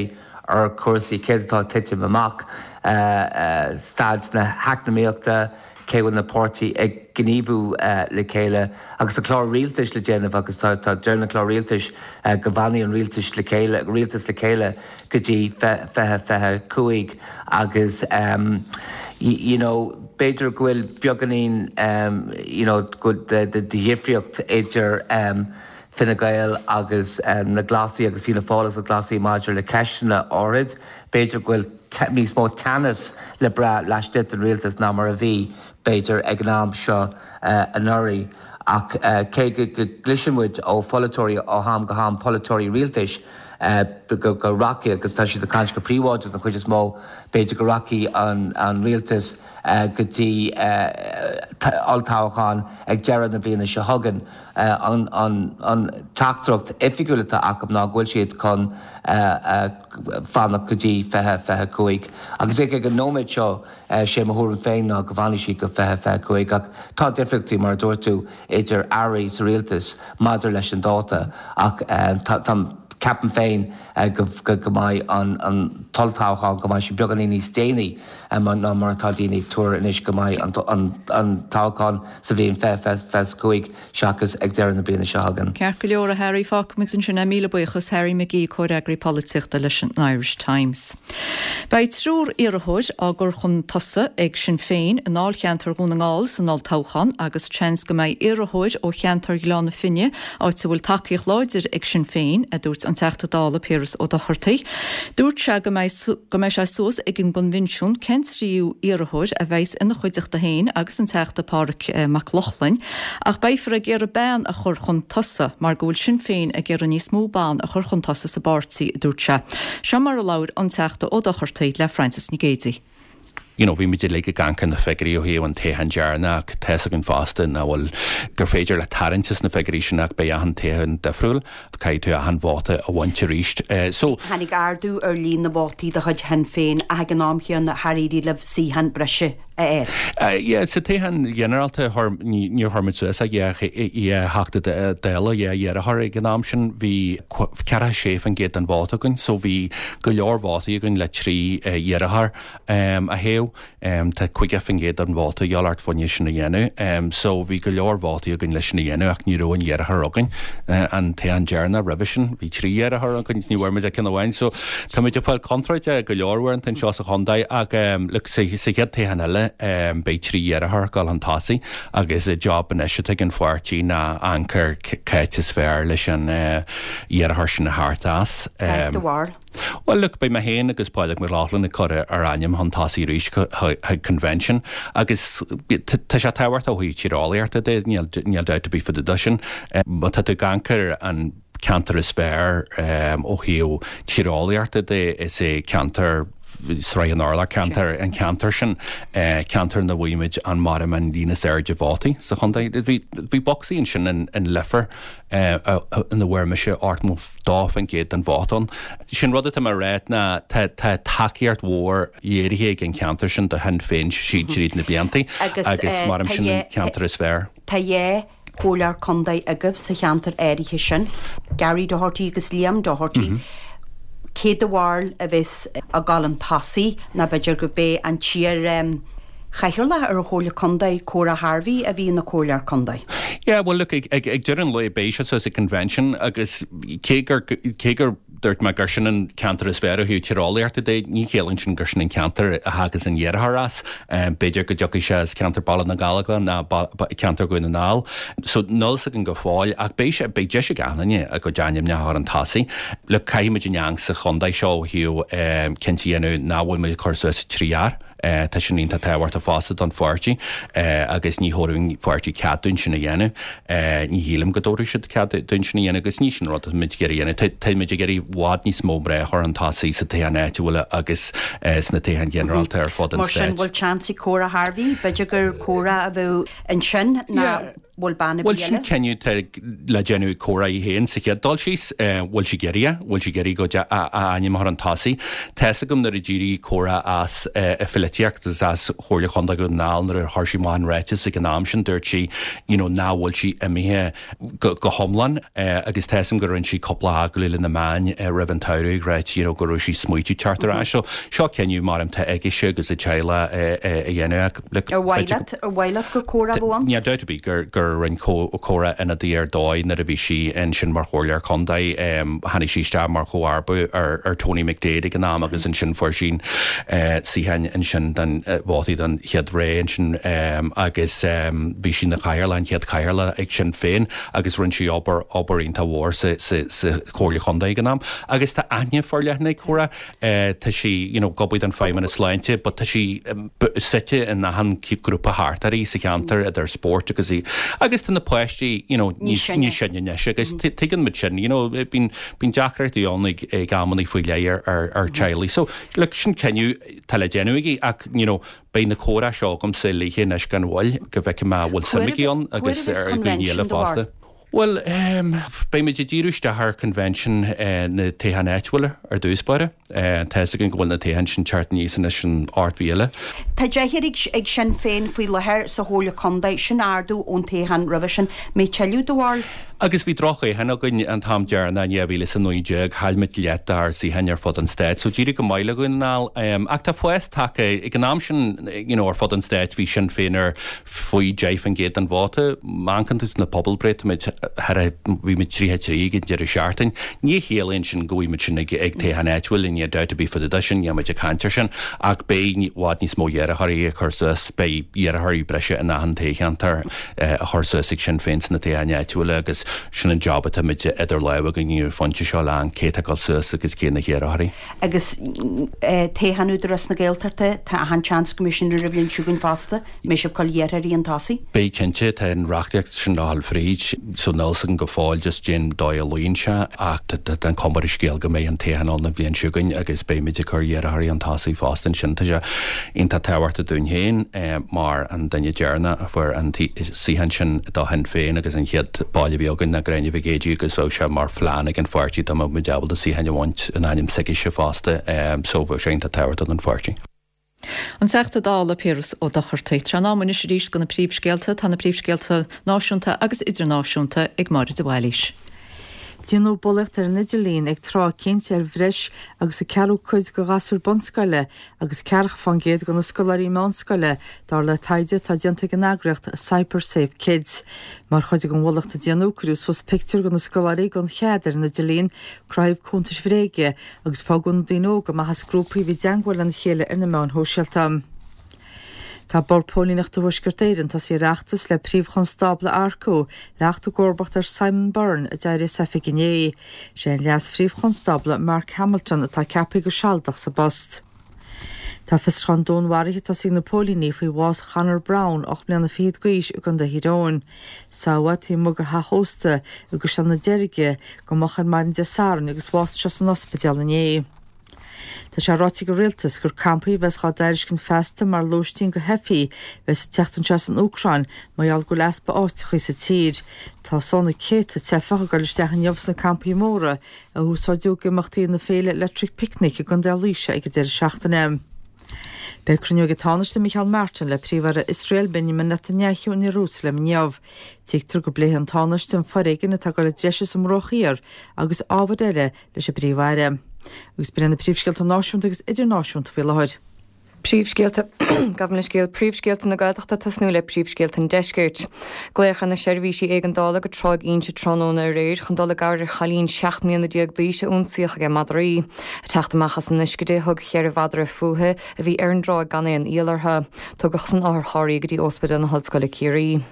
ar chúrsaí, céard atá ag titim amach, staid na heacnamaíochta, cé go bhfuil na páirtí ag gníomhú le chéile agus tá clár rialtais le déanamh agus tá, tá, deireann an clár rialtais go bhfanfaidh an rialtas le chéile, rialtas le chéile go dtí 2025 agus you know b'fhéidir go bhfuil beagáinín you know de dhifríocht idir Fine Gael agus na Glasaigh agus Fianna Fáil agus na Glasaigh maidir le ceisteanna áirid. B'fhéidir go bhfuil níos mó teannas le brath laistigh den rialtas ná mar a bhí, b'fhéidir, ag an am seo anuraidh. Ach cé go gcloiseann muid ó pholaiteoirí ó am go ham, polaiteoirí rialtais, go rachaidh, agus tá siad ag caint go príobháideach den chuid is mó, b'fhéidir go rachaidh an rialtas go dtí olltoghchán ag deireadh na bliana seo chugainn. An teachtaireacht oifigiúil atá acu ná go bhfuil siad chun fanacht go dtí 2025. Agus ag an nóiméad seo, sé mo thuairim féin ná go bhfanfaidh siad go 2025. Ach tá difríochtaí, mar a dúirt tú, idir airí sa rialtas maidir leis an dáta ach tá, ceapaim féin go mbeidh an t-olltoghchán, go mbeidh sé beagáinín níos déanaí ná mar atá daoine ag tuar anois, go mbeidh an toghchán sa bhliain 2025 seachas ag deireadh na bliana seo chugainn. Ceart go leor, a Harry, fágfaimid ansin é. Míle buíochas, Harry McGee, Comhfhreagraí Polaitíochta leis an Irish Times. Beidh triúr iarrthóir á gcur chun tosaigh ag Sinn Féin i ndáilcheantar Dhún na nGall san olltoghchán agus seans go mbeidh iarrthóir ó cheantar Ghleann na Finne, áit a bhfuil tacaíocht láidir ag Sinn Féin, a dúirt an Teachta Dála Piaras Ó Dochartaigh. Dúirt sé go mbeidh go mbeidh sé suas ag an gcoinbhinsiún cén tríú iarrthóir a bheas ina chuideachta féin agus an Teachta Pádraig Mac Lochlainn ach beifear ag iarraidh bean a chur chun tosaigh mar go bhfuil Sinn Féin ag iarraidh níos mó ban a chur chun tosaigh sa bpáirtí, a dúirt sé. Seo mar a labhair an Teachta Ó Dochartaigh le Frances Nic Géadaigh. You know, bhí muid uilig ag amharc ar na figiúirí ó thaobh an toghchán deireanach ach tá fhios againn fosta nach bhfuil, gur féidir leat tarraingt as na figiúirí sin ach beidh achan toghchán difriúil, caithfidh tú achan vóta a bhaint arís. So. Tháinig ardú ar líon na vótaí de chuid Shinn Féin ach ag an am chéanna char éirigh libh suíochán breise a fháil. Yeah, sa toghchán ghinearálta chuir, níor chuir muid suas ach dhá Theachta Dála, dhá iarrthóir ag an am sin, bhí 46% den vóta againn so bhí go leor vótaí againn le trí iarrthóir. a thoghadh. Tá 50% den vóta a dhíobháil ort fá choinne sin a dhéanamh. So bhí go leor vótaí againn leis sin a dhéanamh ach ní raibh aon iarrthóir againn. An toghchán deireanach roimhe sin bhí trí iarrthóir againn ní bhfuair muid ach ceann amháin. So tá muid ag fáil contúirte go leor uaireanta anseo sa chontae ach look sa chéad toghchán eile beidh trí iarrthóir ag dul chun tosaigh agus an job anois atá ag an pháirtí ná amharc ar cá háit is fearr leis an iarrthóir sin a thabhairt as. Cad é do bharúil? Bhuel, look, beidh mé féin agus Pádraig Mac Lochlainn ag cur ár ainm chun tosaigh arís chuig Convention agus tá sé tábhachtach ó thaobh tíreolaíochta de, níl dabht ar bith fá dtaobh de sin. Má tá tú ag amharc ar an ceantar is fearr ó thaobh tíreolaíochta de, is é ceantar Srath an Urláir, ceantar, an ceantar sin, ceantar ina bhfaighimid an maram an líon is airde vótaí sa chontae. Bhí, bhí bocsaí ansin in Leifear ina bhfuair mise 82% den vóta ann. Sin rud atá mé a rá ná tá tá tacaíocht mhór léirithe ag an cheantar sin do Shinn Féin síd tríd na blianta agus maram sin an ceantar is fearr. Tá dhá chomhairleoir contae agaibh sa cheantar áirithe sin, Gary Doherty agus Liam Doherty. Cé do bharúil a bheas ag dul chun tosaigh nó b'fhéidir go b'é an t-iar Chathaoirleach ar an Chomhairle Contae, Cora Harvey, a bhí ina Comhairleoir Contae. Yeah, well look, ag, ag, ag deireadh an lae beidh sé suas ag convention agus cé gur, cé gur dúirt mé gur sin an ceantar is fearr ó thaobh tíreolaíochta de, ní chiallaíonn sin gur sin an ceantar a thagas an iarrthóir as. B'fhéidir go dtiocfaidh sé as ceantar Baile na nGallóglach ná ceantar Dhún na nGall. So níl fhios againn go fóill ach beidh sé, beidh deis ag achan duine a gcuid ainmneacha a chur chun tosaigh. Look, caithfidh muid an eang sa chontae seo ó thaobh cinnte a dhéanamh nach bhfuil muid ag cur suas trí fhear. Tá sin iontach tábhachtach fosta don pháirtí agus ní thabharfadh an pháirtí cead dúinn sin a dhéanamh. Ní shílim go dtabharfadh siad cead dúinn sin a dhéanamh agus ní sin rud atá muid ag iarraidh a dhéanamh. Tá muid ag iarraidh i bhfad níos mó mná a chur chun tosaigh sa toghchán áitiúil agus sna toghcháin ghinearálta ar fud an Mar sin, stáit. bhfuil seans ag Córa Harvey? B'fhéidir gur Córa a bheadh ansin ná bhfuil bean ar Bhuel, bith sin eile? cinneadh atá le déanamh ag Córa í féin sa chéad dul síos. Bhfuil sí ag iarraidh é? Bhfuil sí ag iarraidh go a ainm a chur chun tosaigh? Tá's agam nuair a d'éirigh Córa as a pholaitíocht agus as Chomhairle Chontae Dhún na nGall nuair a chuir sí amach an ráiteas ag an am sin dúirt sí you know nach bhfuil sí imithe go hiomlán agus tá's agam go rinne sí cúpla agallamh le na meáin roimh an tsamhradh ag ráit you know go raibh sí ag smaoitiú teacht ar ais. So seo cinneadh mar atá aici agus a teaghlach a dhéanamh ach look Ar mhaith leat, ar mhaith leat gur Córa a bheadh ann? Níl dabht ar bith gur gur rinne Córa ionadaí ar dóigh nuair a bhí sí ansin mar chomhairleoir contae. Tháinig sí isteach mar chomharba ar ar Tony McDade ag an am agus ansin fuair sí suíochán ansin don vótaí don chéad ré ansin agus bhí sí ina chathaoirleach, an chéad chathaoirleach ag Sinn Féin agus rinne sí obair, obair iontach mhór sa, sa, sa Chomhairle Chontae ag an am. Agus tá aithne forleathan ag Córa, tá sí, you know, ag obair don Feidhmeannas Sláinte but tá sí suite in achan grúpa thart uirthi sa cheantar idir spórt agus í, agus tá na páistí, you know, níos níos sine anois agus tuigeann muid sin, you know, bíonn, bíonn deacrachtaí ann ag, ag amannaí faoi leith ar, ar, ar teaghlaigh. So, look, sin cinneadh tá le déanamh aici ach, you know, beidh na comhrá seo agamsa léithe anois gan mhoill go bhfeicfidh mé an bhfuil suim aici ann agus ar dhaoine eile fosta. Bhuel, beidh muid ag díriú isteach ar convention na toghcháin áitiúla ar dtús báire. Tá fhios againn go bhfuil na toghcháin sin teacht aníos anois an ocht mhí eile. Tá deichniúr ag Sinn Féin faoi láthair sa Chomhairle Contae, sin ardú ón toghchán roimhe sin. Mbeidh tuilleadh do bharúil? Agus bhí droch-thoghchán againn an t-am deireanach in 2019, chaill muid leath dár suíocháin ar fud an stáit, so d'éirigh go maith le Dhún na nGall. Ach tá fás tagtha, ag an am sin, you know, ar fud an stáit bhí Sinn Féin ar faoi 10% den vóta. Má amharcann tú sna pobalbhreith, tá muid thar a, bhí muid 33 ag an deireadh seachtain. Ní chiallaíonn sin go bhfaighidh muid sin ag ag toghchán áitiúil, níl dabht ar bith fá dtaobh de sin, níl muid ag caint air sin, ach beidh i bhfad níos mó iarrthóirí ag cur suas, beidh iarrthóirí breise in achan toghcheantar. a chur suas ag Sinn Féin sna toghcháin áitiúla agus sin an job atá muid idir lámha againn ar an phointe seo le cé atá ag dul suas agus cé na hiarrthóirí. Agus toghchán Údarás na Gaeltachta, tá achan seans go mbeidh sin ar an bhliain seo chugainn fosta, mbeidh sibh ag cur iarrthóirí chun tosaigh? Beidh cinnte, tá an reachtaíocht sin le dhul fríd so níl 's againn go fóill just cén dóigh a luíonn sé ach tá an chuma ar an scéal go mbeidh an toghchán ann an bhliain seo chugainn agus beidh muid ag cur iarrthóirí chun tosaigh fosta ansin. Tá sé iontach tábhachtach dúinn féin mar an duine deireanach a fuair an suíochán sin do Shinn Féin agus an chéad baile a bhí againn ná Gráinne Mhic Géidigh agus bheadh sé mar phlean ag an pháirtí dá mbeadh muid ábalta suíochán a bhaint in ainm s'aicise fosta so bheadh sé iontach tábhachtach don pháirtí. An Teachta Dála Piaras Ó Dochartaigh. Tar éis an ama anois arís do na príomhscéalta. Tá na príomhscéalta náisiúnta agus idirnáisiúnta ag Máire de Bhailís. Déanadh bulaíocht ar an idirlíon ag tráth eicínt ar bhreis agus a ceathrú cuid de ghasúir bunscoile agus ceathracha fán gcéad de na scoláirí meánscoile, dar le taighde atá déanta ag an eagraíocht CyberSafe Kids. Mar chuid den bhulaíocht a déanadh, cuireadh suas pictiúir de na scoláirí gan chead ar an idirlíon, cruthaíodh cuntais bhréige agus fágadh na daoine óga amach as grúpaí a bhí i dteangmháil lena chéile ar na meáin shóisialta. Tá Bord Póilíneachta Thuaisceart Éireann tosaithe ar fheachtas le Príomh-Chonstábla a earcú le theacht i gcomharbacht ar Simon Byrne a d'éirigh as oifig inné. Sé an Leas-Phríomh-Chonstábla Mark Hamilton atá ceaptha go sealadach sa bpost. Tá fiosrúchán dúnmharaithe tosaithe ag na póilíní faoi bhás Chonor Browne, 8 mbliana fichead d'aois, i gContae Thír Eoghain. Sádh é taobh amuigh de theach ósta i gCaisleán na Deirge go moch ar maidin Dé Sathairn agus bhásaigh sé san ospidéal inné. Tá sé ráite ag an Rialtas gur campaí a bheas á dtairiscint feasta mar lóistín do theifigh a bheas ag teacht anseo as an Úcráin mar gheall go bhfuil easpa áiteachaí sa tír. Tá sna céadta teifeach ag dul isteach inniu sna campaí móra a úsáideadh ag imeachtaí na féile Electric Picnic i gContae Laoise ag an deireadh seachtaine. Beidh cruinniú ag an Tánaiste Micheál Martin le Príomh-Aire Iosrael Benjamin Netanyahu in Iarúsailéim inniu. Tuigtear go bpléifidh an Tánaiste an foréigean atá ag dul i dtreise sa mBruach Thiar agus ábhair eile leis an bPríomh-Aire. Agus b'in iad na príomhscéalta náisiúnta agus idirnáisiúnta faoi láthair. Príomhscéalta, Gabh mo leithscéal, Príomhscéalta na Gaeltachta tosnú le príomhscéalta an Deiscirt. Glaodh ar na seirbhísí éigeandála go Tráigh Inse tráthnóna aréir chun dul i gcabhair ar chailín 17 mbliana d'aois a ionsaíodh ag madraí. Ag teacht amach as an uisce di, thug cheithre mhadra fúithi a bhí ar an dtráigh gan aon iall orthu. Tugadh san otharcharr í go dtí Óspidéal na hOllscoile Ciarraí.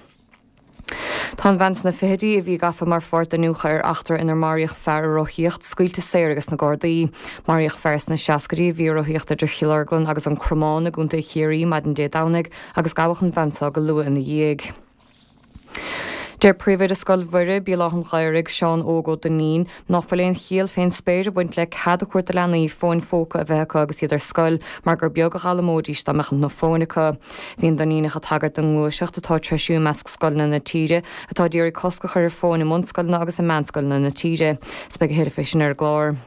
Tá an bhean sna fichidí, a bhí gafa mar pháirt d'iniúchadh ar eachtra inar maraíodh fear ag rothaíocht, scaoilte saor ages na Gardaí. Maraíodh fear sna seascaidí a bhí ag rothaíocht idir Chill Orglan agus an Cromán i gContae Chiarraí maidin Dé Domhnaigh agus gabhadh an bhean seo go luath ina dhiaidh. Deir Príomhoide Scoil Mhuire, Béal Átha an Ghaorthaidh, Seán Óg Ó Duinnín, ná fuil aon chiall fén spéir ag baint le cead a thabhairt do leanaí fóin phóca a bheith acu agus iad ar scoil mar gur beag a dh'fhoghlaimeoidís dá mbeadh na fóin acu. Bhí an Duinníneach ag tagairt don ngluaiseacht atá ag treisiú i measc scoileanna na tíre atá ag iarraidh cosc a chur ar fóin i mbunscoileanna agus i meánscoileanna na tíre. 'S beidh a thuilleadh fé sin ar an gclár.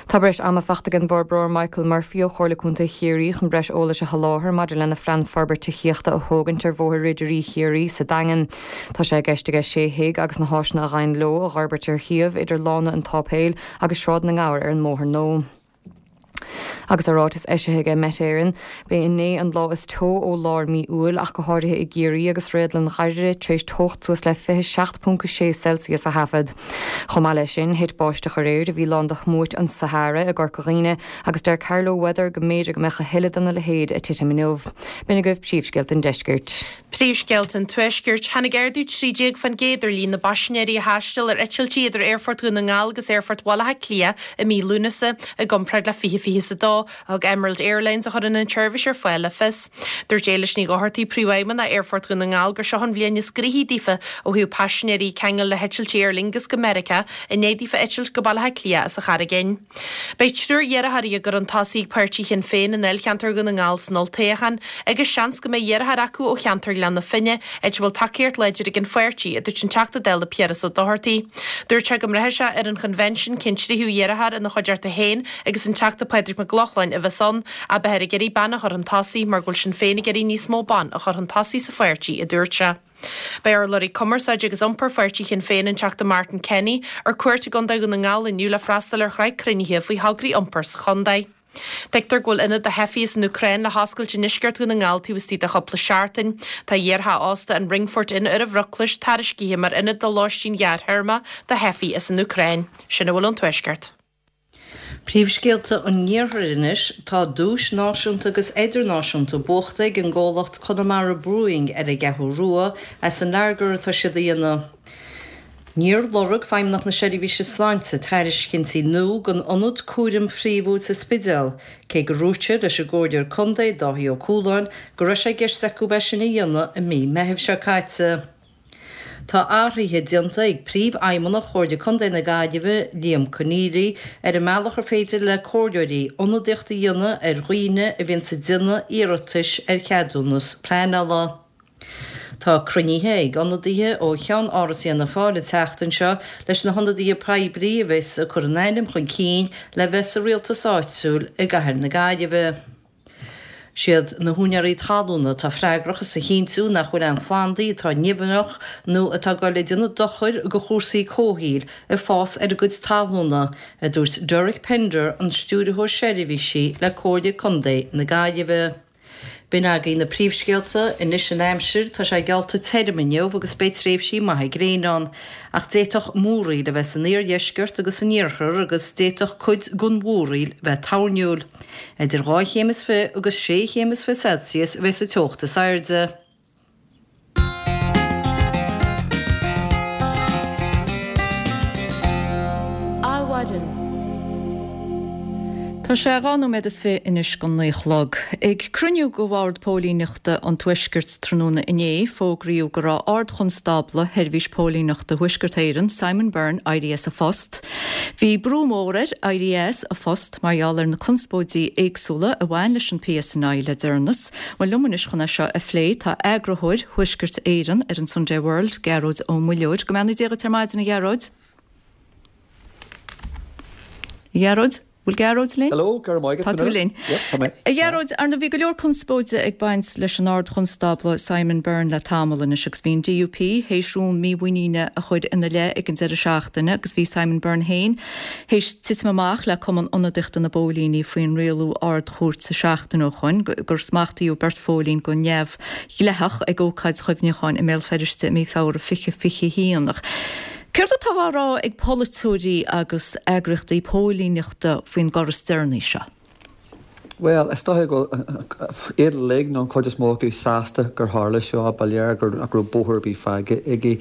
Tá breis ama fachta ag an bhforbróir Michael Murphy ó Chomhairle Contae Chiarraí chun breis eolais a sholáthar maidir lena phlean forbairt tithíochta a thógaint ar Bhóthar Ridirí Chiarraí sa Daingean. Tá sé i gceist aige sé thigh agus na háiseanna a ghabhann leo a dh'fhorbairt ar shuíomh idir Lána an tSáipéil agus Sráid na nGabhar ar an mBóthar Nua. Agus i ráiteas eisithe aige Met Éireann, b'é inné an lá is teo ó lár mí Iúil, ach go háirithe i gCiarraí agus réadlann Dhoire tar éis teocht suas le 27.6 Celsius a thaifead. Chomh maith leis sin, thit báisteach aréir a bhí lán de shmúit an Sahara i gCorca Dhuibhne agus deir Carlow Weather go mb'fhéidir go mbeadh a thuilleadh dena leithéid ag titim inniu. B'in agaibh príomhscéalta an deiscirt. Príomhscéalta an Tuaiscirt, Tháinig ardú 13% ar líon na bpaisinéirí a thaistil ar eitiltí idir Aerfort Dhún na nGall agus Aerfort Bhaile Átha Cliath i mí Lúnasa, i gcomparáid le 2022, a thug Emerald Airlines, a chuireann an tseirbhís ar fáil, le fios. Dúirt Éilis Ní Dhochartaigh, Príomhfheidhmeannach Aerfort Dhún na nGall, gur seo an bhliain is gnoithí daofa ó thaobh paisinéirí ag ceangal le heitiltí Aer Lingus go Meiriceá i ndiaidh daofa eitilt go Baile Átha Cliath as an Charraig Fhinn. Beidh triúr iarrthóirí á gcur chun tosaigh ag páirtí Shinn Féin i ndáilcheantar Dhún na nGall san olltoghchán agus seans go mbeidh iarrthóir acu ó cheantar Ghleann na Finne, áit a bhfuil tacaíocht láidir ag an pháirtí, a dúirt an Teachta Dála Piaras Ó Dochartaigh. Dúirt sé go mbraithfidh sé ar an choinbhinsiún cén tríú iarrthóir ina chuideachta féin agus an Teachta Pádraig Mac Lochlainn a bheas ann, ach beifear ag iarraidh bean a chur chun tosaigh mar go bhfuil Sinn Féin ag iarraidh níos mó ban a chur chun tosaigh sa pháirtí, a dúirt sé. Beidh urlabhraí cumarsáide agus iompair pháirtí Shinn Féin, an Teachta Martin Kenny, ar cuairt i gContae Dhún na nGall inniu le freastal ar shraith cruinnithe faoi thograí iompair sa chontae. Tuigtear go bhfuil ionad do theifigh as an Úcráin le hoscailt i ndeisceart Dhún na nGall taobh istigh de chúpla seachtain. Tá iartheach ósta an Ringfort Inn ar an Bhruclais tairiscithe mar ionad do lóistín ghearrthéarma do theifigh as an Úcráin. Sin a bhfuil ón Tuaisceart. Príomhscéalta an Iarthair anois, Tá duais náisiúnta agus idirnáisiúnta buachta ag an gcomhlacht Conamara Brewing ar an gCeathrú Rua as an lager atá siad a dhéanamh. Níor lorg Feidhmeannacht na Seirbhíse Sláinte tairiscintí nua don ionad cúraim phríomhúil sa Spidéal, cé gur dhúirt siad leis an gComhairleoir Contae, Dáithí Ó Cualáin, go raibh sé i gceist acu é sin a dhéanamh i mí Meithimh seo caite. Tá athruithe déanta ag Príomhfheidhmeannach Chomhairle Contae na Gaillimhe, Liam Conneally, ar an mbealach ar féidir le comhairleoirí ionadaíocht a dhéanamh ar dhaoine a bhíonns ag déanamh iarratais ar cheadúnas pleanála. Tá cruinnithe ag ionadaithe ó Cheann-Áras Fhianna Fáil an tseachtain seo leis na hionadaithe poiblí a bheas ag cur a n-ainm chun cinn le bheith sa rialtas áitiúil i gcathair na Gaillimhe. Siad na húinéirí talúna atá freagrach as a chinntiú nach bhfuil aon phlandaí atá nimhneach nó atá ag dul ag déanamh dochair do chúrsaí comhshaoil ag fás ar a gcuid talúna, a dúirt Derek Pender, an Stiúrthóir Seirbhísí le Comhairle Contae na Gaillimhe. B'in agaibh na príomhscéalta. Anois an aimsir, tá sé geallta tirim inniu agus beidh tréimhsí maithe gréine ann. Ach d'fhéadfadh múraíl a bheith san iardheisceart agus san iarthar agus d'fhéadfadh cuid den mhúraíl bheith toirniúil. Idir 2 chéim is 20 agus 6 chéim is 20 Celsius a bheas an teocht is airde. Adhmhaidin. Tá sé 2 nóiméad is 20 anois don 9 a chlog. Ag cruinniú de Bhord Póilíneachta an Tuaiscirt tráthnóna inné, fógraíodh go raibh Ard-Chonstábla Sheirbhís Póilíneachta Thuaisceart Éireann, Simon Byrne, éirithe as a phost. Bhí brú mór air éirí as a phost mar gheall ar na conspóidí éagsúla a bhain leis an PSNI le deireanas. Bhuel, liom anois chun é seo a phlé tá eagarthóir Thuaisceart Éireann ar an Sunday World, Gearóid Ó Muilleoir. Go mbeannaí Dia dhuit ar maidin, a Ghearóid. A Ghearóid? Bhfuil Gearóid linn? Hello, go raibh maith agat. Tá tú linn. Yep, tá mé. A Ghearóid, ar ndóigh bhí go leor conspóide ag baint leis an Ard-Chonstábla Simon Byrne le tamall anois agus bhí an DUP théis rún mímhuiníne a chur ina leith ag an deireadh seachtaine agus bhí Simon Byrne féin théis titim amach le Cumann Ionadaíochta na bPóilíní faoin rialú Ard-Chúirte seachtain ó shoin gur smachtaíodh beirt phóilín go neamhdhleathach ag ócáid chuimhneacháin i mBéal Feirste i mí Feabhra 2021. Ach céard atá á rá ag polaiteoirí agus eagraíochtaí póilíneachta faoin gcor is deireanaí seo? Bhuel, is dóiche go bhfuil iad uilig, nó an chuid is mó acu, sásta gur tharla seo. Ba léir gur nach raibh bóthar ar bith fágtha aige.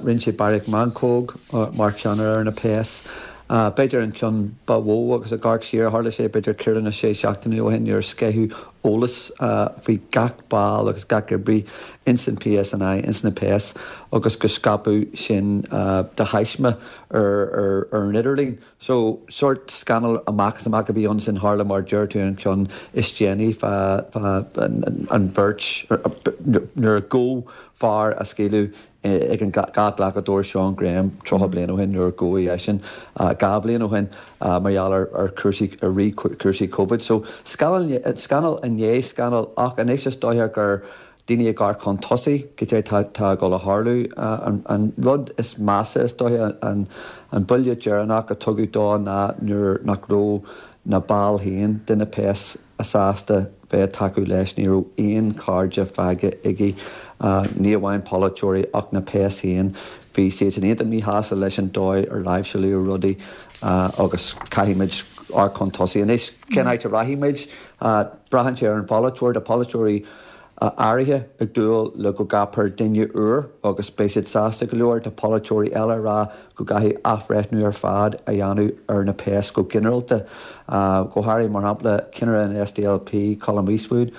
Rinne sé Barry meancóg mar cheannaire ar na péas. B'fhéidir an ceann ba mhó agus ag amharc siar, tharla sé b'fhéidir ceithre nó sé seachtaine ó shin nuair a sceitheadh eolas faoi gach ball agus gach oibrí ins an PSNI, ins na péas agus go scaipeadh sin de thaisme ar an idirlíon. So, sórt scannal amach is amach a bhí ann sin tharla mar deir tú an ceann is déanaí fá an bheirt nuair a gabhadh fear a scaoileadh ag an gcathghlacadóir Sean Graham 30 bliain ó shin nuair a gabhadh eisean 2 bhliain ó shin mar gheall ar chúrsaí ar rith cúrsaí Covid. So, scannal scannal i ndiaidh scannail ach anois is dóiche gur daoine ag amharc chun tosaigh, goidé tá ag dul a tharlú. An rud is measa, is dóiche, an buille deireanach a tugadh dó ná nuair nach raibh na baill féin de na péas sásta bheith ag tacú leis. Ní raibh aon chairde fágtha aige, ní amháin polaiteoirí ach na péas féin. Bhí siadsan iontach míshásta leis an dóigh ar láimhseáladh rudaí agus caithfimid amharc chun tosaigh. Anois, cén áit a rachaidh muid? Braitheann sé ar an pholaiteoir. Tá polaiteoirí áirithe ag dúil le go gceapfar duine úr agus beidh siad sásta go leor. Tá polaiteoirí eile ag rá go gcaithfidh athbhreithniú ar fad a dhéanamh ar na péas go ginearálta. Go háirithe, mar shampla, ceannaire an SDLP, Colum Eastwood,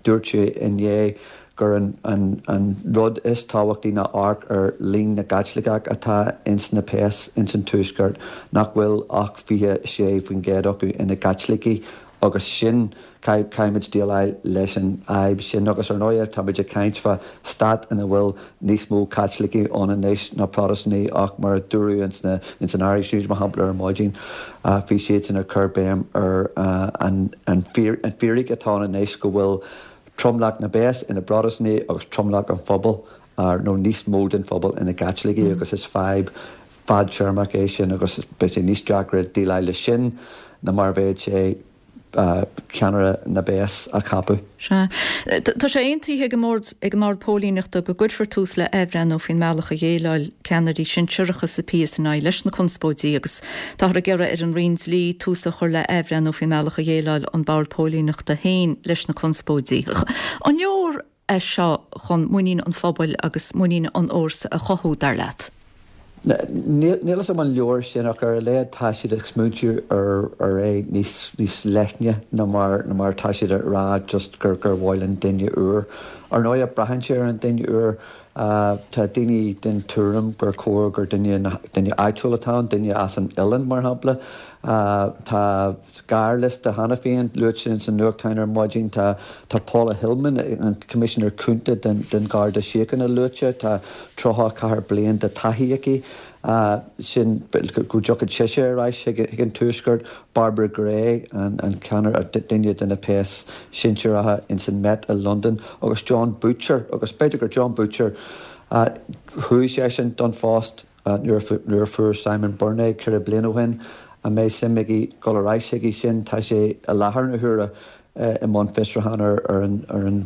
dúirt sé inné gur an rud is tábhachtaí ná amharc ar líon na gCaitliceach atá ins na péas ins an Tuaisceart, nach bhfuil ach 26% acu ina gCaitlicigh agus sin, caithfimid déileáil leis an fhadhb sin agus ar ndóighe táimid ag caint fá stát ina bhfuil níos mó Caitlicigh ann anois ná Protastúnaigh ach mar a dúradh ins na, ins an Irish News mar shampla ar maidin, bhí siadsan ag cur béim ar an, an fhíric atá ann anois go bhfuil tromlach na bpéas ina bProtastúnaigh agus tromlach an phobail nó níos mó den phobal ina gCaitlicigh agus is fadhb fadtéarmach é sin agus beidh sé níos deacra déileáil leis sin ná mar a bheadh sé ceannaire na bpéas a cheapadh. Sea. Tá sé aontaithe ag an mBord ag an mBord Póilíneachta go gcuirfear tús le athbhreithniú faoin mbealach a dhéileáil ceannairí sinsearacha sa PSNI leis na conspóidí agus táthar ag iarraidh ar an Roinn Dlí tús a chur le athbhreithniú faoin mbealach a dhéileáil an Bord Póilíneachta féin leis na conspóidí. An leor é seo chun muinín an phobail agus muinín an fhórsa a chothú, dar leat? Níl a fhios agam an leor sin ach ar a laghad tá siad ag smaointiú ar é níos níos leithne ná mar ná mar atá siad ag rá just gur gur mhaith linn duine úr. Ar ndóighe braitheann sé ar an duine úr. Tá daoine den tuairim gur chóir gur duine duine áitiúil atá ann, duine as an oileán mar shampla. Tá gearrliosta cheana féin luaite ins na nuachtáin ar maidin. Tá tá Paula Hillman, an Coimisinéir Cúnta den den Gharda Síochána luaite. Tá 34 bliain de taithí aici. Sin go dtiocfaidh sise ar ais chuig an Tuaisceart. Barbara Gray, an an ceannaire, duine de na péas sinsearacha ins an Met i Londain agus Jon Boutcher agus b'fhéidir gur Jon Boutcher chuaigh seisean don phost. Nuair a fuair Simon Byrne é ceithre bliana ó shin, an mbeidh suim aige dul ar ais chuige sin? Tá sé i láthair na huaire i mbun fiosrúchán ar an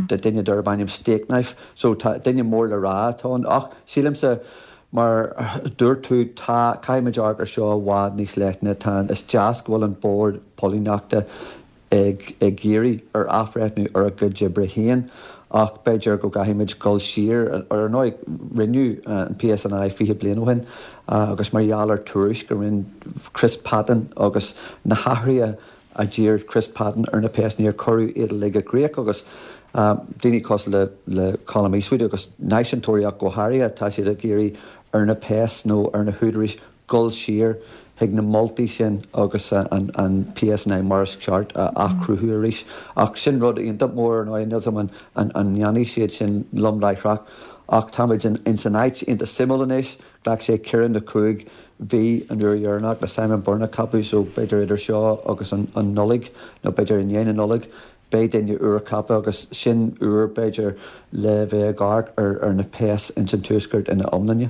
duine darb ainm Stakeknife. So tá duine mór le rá atá ann. Ach sílimse, mar a dúirt tú, tá, caithfimid amharc ar seo i bhfad níos leithne. Tá, is deas go bhfuil an Bord Póilíneachta ag iarraidh ar athbhreithniú ar a gcuid oibre féin ach b'fhéidir go gcaithfimid dul siar. Ar ndóigh, rinneadh an PSNI 20 bliain ó shin agus mar gheall ar tuairisc a rinne Chris Patten agus na hathruithe a d'iarr Chris Patten ar na péas, níor cuireadh iad uilig i gcrích agus daoine cosúil le Colum Eastwood agus náisiúntóirí ach go háirithe, tá siad ag iarraidh ar na péas nó ar na húdaráis dul siar chuig na moltaí sin agus an PSNI mar is ceart a athchruthú arís. Ach sin rud iontach mór ar ndóigh, níl 's agam an ndéanfaidh siad sin lom láithreach ach táimid ins an áit iontach suimiúil anois, ghlac sé ceithre nó cúig mhí an uair dheireanach le Simon Byrne a cheapadh so b'fhéidir idir seo agus an Nollaig nó b'fhéidir i ndiaidh na Nollag Beidh duine úr ceaptha agus sin uair, b'fhéidir, le bheith ag amharc ar na péas ins an Tuaisceart ina iomláine.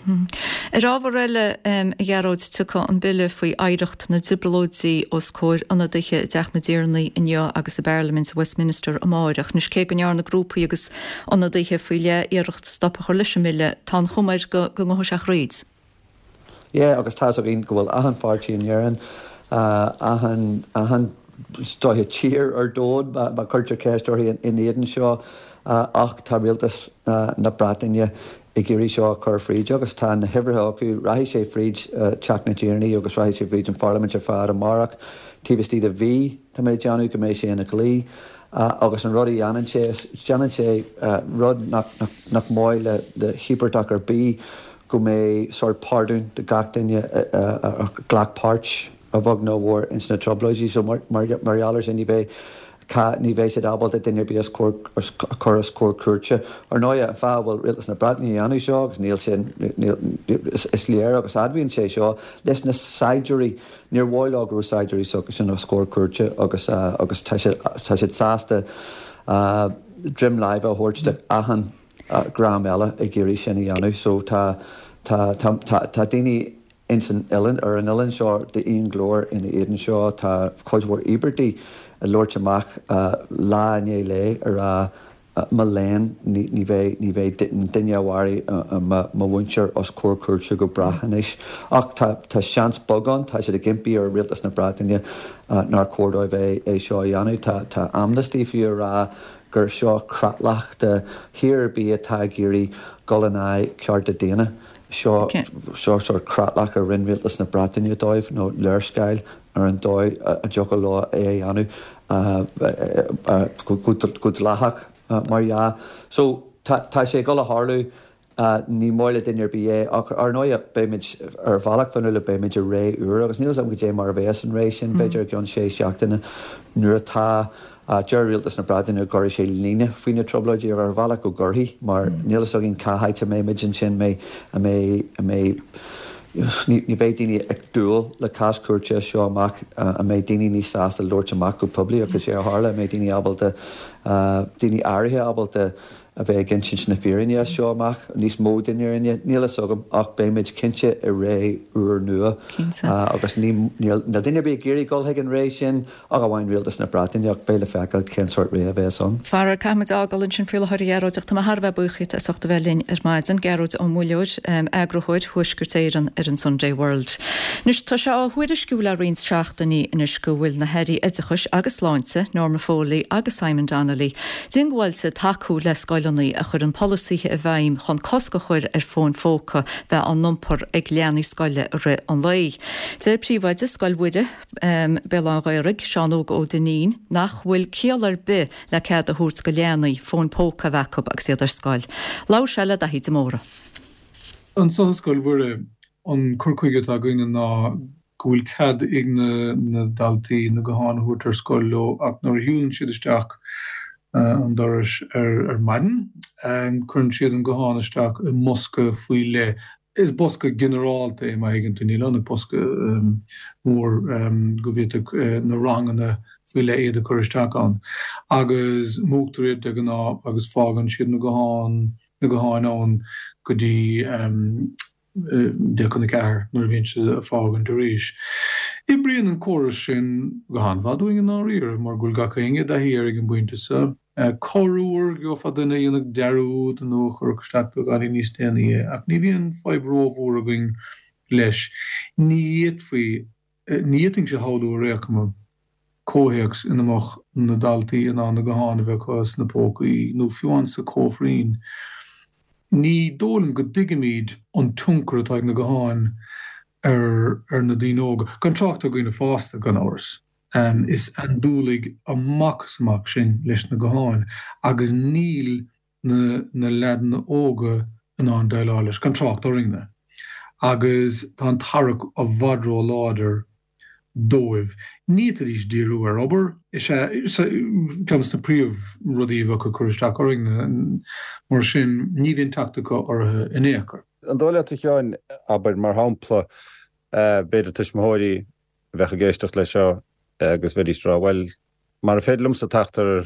Ar ábhar eile, a Ghearóid, tiocfaidh an bille faoi oidhreacht na dTrioblóidí os comhair ionadaithe i dTeach na dTiarnaí inniu agus i bParlaimint Westminster amáireach. Anois, cé go ndearna grúpaí agus ionadaithe faoi leith iarracht stop a chur leis an mbille, tá an chuma air go ngabhfaidh sé thríd. Yeah agus tá's againn go bhfuil achan pháirtí in Éirinn, achan, achan. is dóiche tír ar domhan má chuirtear ceist uirthi in éadan seo ach tá rialtas na Breataine ag iarraidh seo a chur fríd agus tá na huimhreacha acu, rachaidh sé fríd Teach na dTiarnaí agus rachaidh sé fríd an Pharlaimint ar fad amárach, taobh istigh de mhí tá mé ag déanamh go mbeidh sé ina dhlí agus an rud a dhéanann sé is déanann sé rud nach maith le híobartach ar bith go mbeidh sórt pardún do gach duine a ghlac páirt a bheag nó a mhór ins na trioblóidí so mar gheall ar sin ní bheidh ní bheidh siad ábalta duine ar bith os comhair a chur os comhair cúirte. Ar ndóighe an fáth a bhfuil rialtas na Breataine a dhéanamh seo agus níl sé is léir agus admhaíonn sé seo leis na saighdiúirí níor mhaith leo go raibh saighdiúirí s'acusan os comhair cúirte agus agus tá siad tá siad sásta droim láimhe a thabhairt do achan dhream eile ag iarraidh sin a dhéanamh so tá tá tá tá daoine ins an oileán, ar an oileán seo d'aon ghlór ina éadan seo. Tá cuid mhór íobartaigh ag labhairt amach lá i ndiaidh lae ag rá mo léan, ní bheidh, ní bheidh duine a mharaigh mo mhuintir os comhair cúirte go brách anois. Ach tá, tá seans beag ann, tá siad ag impí ar Rialtas na Breataine nár chóir dóibh é, é seo a dhéanamh. Tá, tá Amnesty fiú ag rá gur seo creatlach do thír ar bith atá ag iarraidh dul in aghaidh cearta daonna. Seo seo sórt creatlach a rinne Rialtas na Breataine dóibh, nó léarscáil ar an dóigh a dtiocfadh leo é a dhéanamh go dleathach, mar dhea. So, tá sé ag dul a tharlú, ní maith le duine ar bith é, ach ar ndóighe, beimid, ar bhealach Fionnuala, beimid i ré úr, agus níl a fhios agam cad é mar a bheas an ré sin, b'fhéidir i gceann sé seachtaine, nuair atá Deir Rialtas na Breataine go gcuirfidh sé líne faoi na trioblóidí ar bhealach go gcuirfidh mar níl a fhios againn cá háit a mbeimid ansin, an mbeidh, an mbeidh, ní bheidh daoine ag dúil le cás cúirte as seo amach, an mbeidh daoine níos sásta labhairt amach go poiblí agus cad é a tharla, an mbeidh daoine ábalta, daoine áirithe ábalta a bheith ag insint na fírinne as seo amach, níos mó den fhírinne, níl a fhios agam ach beimid cinnte i ré úr nua agus níl duine ar bith ag iarraidh dul chuig an ré sin ach amháin rialtas na Breataine ach beidh le feiceáil cén sórt ré a bheas ann. Faraor, caithfimid a fhágáil ansin faoi láthair a Ghearóid ach tá mé thar a bheith buíoch díot as ucht a bheith linn ar maidin. Gearóid Ó Muilleoir, Eagarthóir Thuaisceart Éireann ar an Sunday World. Anois, tá sé á thuairisciú le roinnt seachtainí anois go bhfuil na hAirí Oideachais agus Sláinte, Norma Foley agus Simon Donnelly, diongbháilte tacú le scoileanna a chuireann polasaithe i bhfeidhm chun cosc a chur ar fóin phóca bheith á n-iompar ag leanaí scoile i rith an lae. Deir Príomhoide Scoil Mhuire, Béal Átha an Ghaorthaidh, Seán Óg Ó Duinnín, nach bhfuil ciall ar bith le cead a thabhairt go leanaí fóin póca a bheith acu agus iad ar scoil. Labhair sé le Daithí de Mórdha. Anseo i Scoil Mhuire, an cur chuige atá againne ná go bhfuil cead ag na daltaí na gutháin a thabhairt ar scoil leo ach nuair a shiúlann siad isteach an doras ar maidin, cuireann siad an guthán isteach i mbosca faoi leith Is bosca ginearálta é má thuigeann tú, níl ann ach bosca mór go bhféadfadh na ranganna faoi leith iad a chur isteach ann. Agus múchtar iad de ghnáth agus fágann siad na gutháin, na gutháin ann go dtí 3:50 nuair a bhíonn siad ag fágaint arís. Oibríonn an córas sin go han-mhaith dúinn i ndáiríre mar go bhfuil gach éinne i dtaithí air ag an bpointe seo. Corruair gheofá duine a dhéanfadh dearúd nó a chuirfeadh isteach beagáinín níos déanaí é, ach ní bhíonn fadhb rómhór againn leis. Ní fhéadfaí, ní fhéadfainnse a shamhlú ar aon chuma, comhthéacs ina mbeadh na daltaí in ann na gutháin a bheith acu sna pócaí nó fiú amháin sa chóifrín. Ní dóigh liom go dtuigimid an tionchar atá ag na gutháin ar ar na daoine óga, gan trácht ar dhaoine fásta, gan amhras. Is andúiligh amach is amach sinn leis na gutháin agus níl na na leaideanna óga in ann déileáil leis, gan trácht orainne. Agus tá an tarrac i bhfad ró-láidir dóibh. Ní fhéadfaidís díriú ar obair. Is ea, ceann de na príomhrudaí a bheadh ag cur isteach orainne. Mar sin, ní bhíonn teacht acu orthu in aon chor. An dóigh leat, a Sheáin, abair, mar shampla, b'fhéidir tuismitheoirí a bheadh ag éisteacht leis seo agus bheidís ag rá, bhuel, mara féidir liomsa teacht ar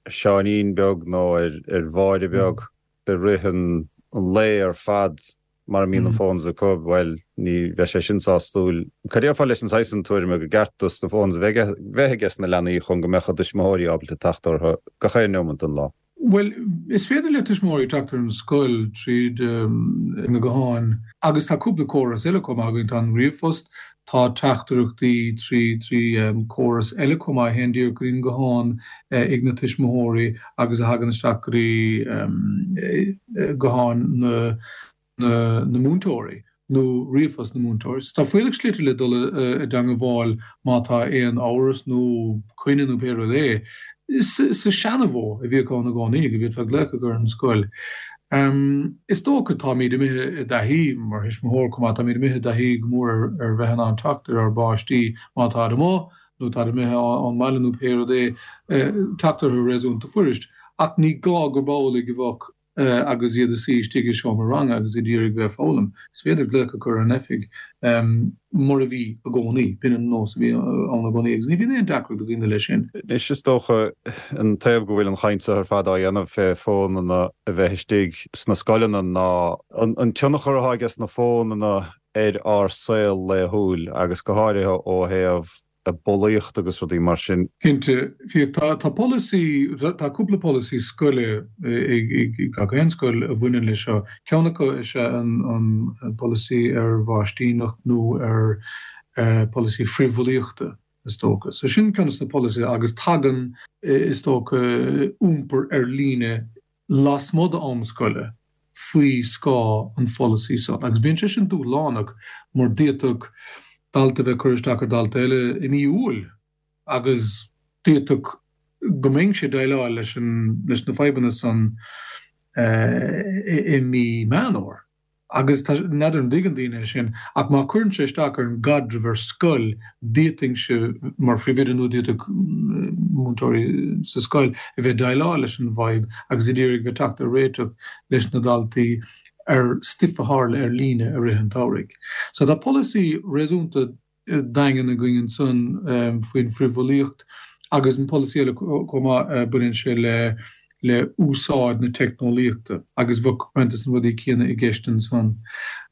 Sheáinín beag nó ar Mháire beag i rith an lae ar fad mara mbíonn an phones acu, bhuel, ní bheidh sé sin sásúil. Cad a déarfá leis an saghas sin tuairime gur ceart dos na phones a bheith aige na leanaí chun go mbeadh a dtuismitheoirí ábalta teacht orthu gach aon neomant den lá? Bhuel, is féidir le tuismitheoirí teacht ar an scoil tríd na gutháin agus tá cúpla córas eile chomh maith againn. Tá an ríomhphost, Tá teachtaireachtaí trí córas eile chomh maith a théann díreach go dtí an guthán ag na tuismitheoirí agus a thagann isteach go dtí gutháin na na múinteoirí nó ríomhphost na múinteoirí. So tá fuílleach slite le dul i dteangabháil má tá aon amhras nó coinne nó pé rud é. Sa seana-mhodh a bhíodh ann i gcónaí, go bhféadfá glaoch a chur ar an scoil. Is dócha, táimid imithe i dtaithí, mar thuismitheoir chomh maith, táimid imithe i dtaithí go mór ar bheith in ann teacht ar ár bpáistí má táid amuigh nó táid imithe ón mbaile nó pé rud é, teacht orthu réasúnta fuirist. Ach ní gá gurb amhlaidh a bheadh agus iad ag suí istigh i seomra ranga agus iad ag iarraidh bheith ag foghlaim. Is féidir glaoch a chur ar an oifig, mar a bhí i gcónaí. B'in an nós a bhí ann i gcónaí agus ní bhíonn aon deacracht ag daoine leis sin. Anois is dócha an taobh go bhfuil an chaint seo ar fad á dhéanamh fé fónanna a bheith istigh sna scoileanna ná an tionchar atá aige sna fónanna ar ár saol laethúil agus go háirithe ó thaobh bulaíocht agus rudaí mar sin. Cinnte, Fiach, tá tá polasaí, tá cúpla polasaí scoile ag gach aon scoil a bhaineann leis seo. Ceann acu is ea an an polasaí ar mhaistíneacht nó ar polasaí frithbhulaíochta, is dócha. So sin ceann de na polasaithe agus tagann, is dócha, iompar ar líne lasmuigh d'am scoile faoi scáth an pholasaí san. Agus bíonn sé sin dúshlánach mar d'fhéadfadh dalta a bheith ag cur isteach ar dhalta eile i mí Iúil agus d'fhéadfadh go mbeinnse ag déileáil leis leis na fadhbanna san i mí Meán Fhómhair. Agus tá, n'fheadar an dtuigeann daoine é sin, ach má chuireann sé isteach ar an gcaidreamh ar scoil, d'fhéadfainnse, mar phríomhoide nó d'fhéadfadh múinteoirí sa scoil, a bheith ag déileáil leis an bhfadhb agus ag iarraidh bheith ag teacht ar réiteach leis na daltaí ar stuif a tharla ar líne i rith an tsamhraidh. So tá polasaí réasúnta daingean againn ansan faoin frithbhulaíocht agus an polasaí eile chomh maith, baineann sé le le úsáid na teicneolaíochta agus bheadh roinnt de na rudaí céanna i gceist ansan,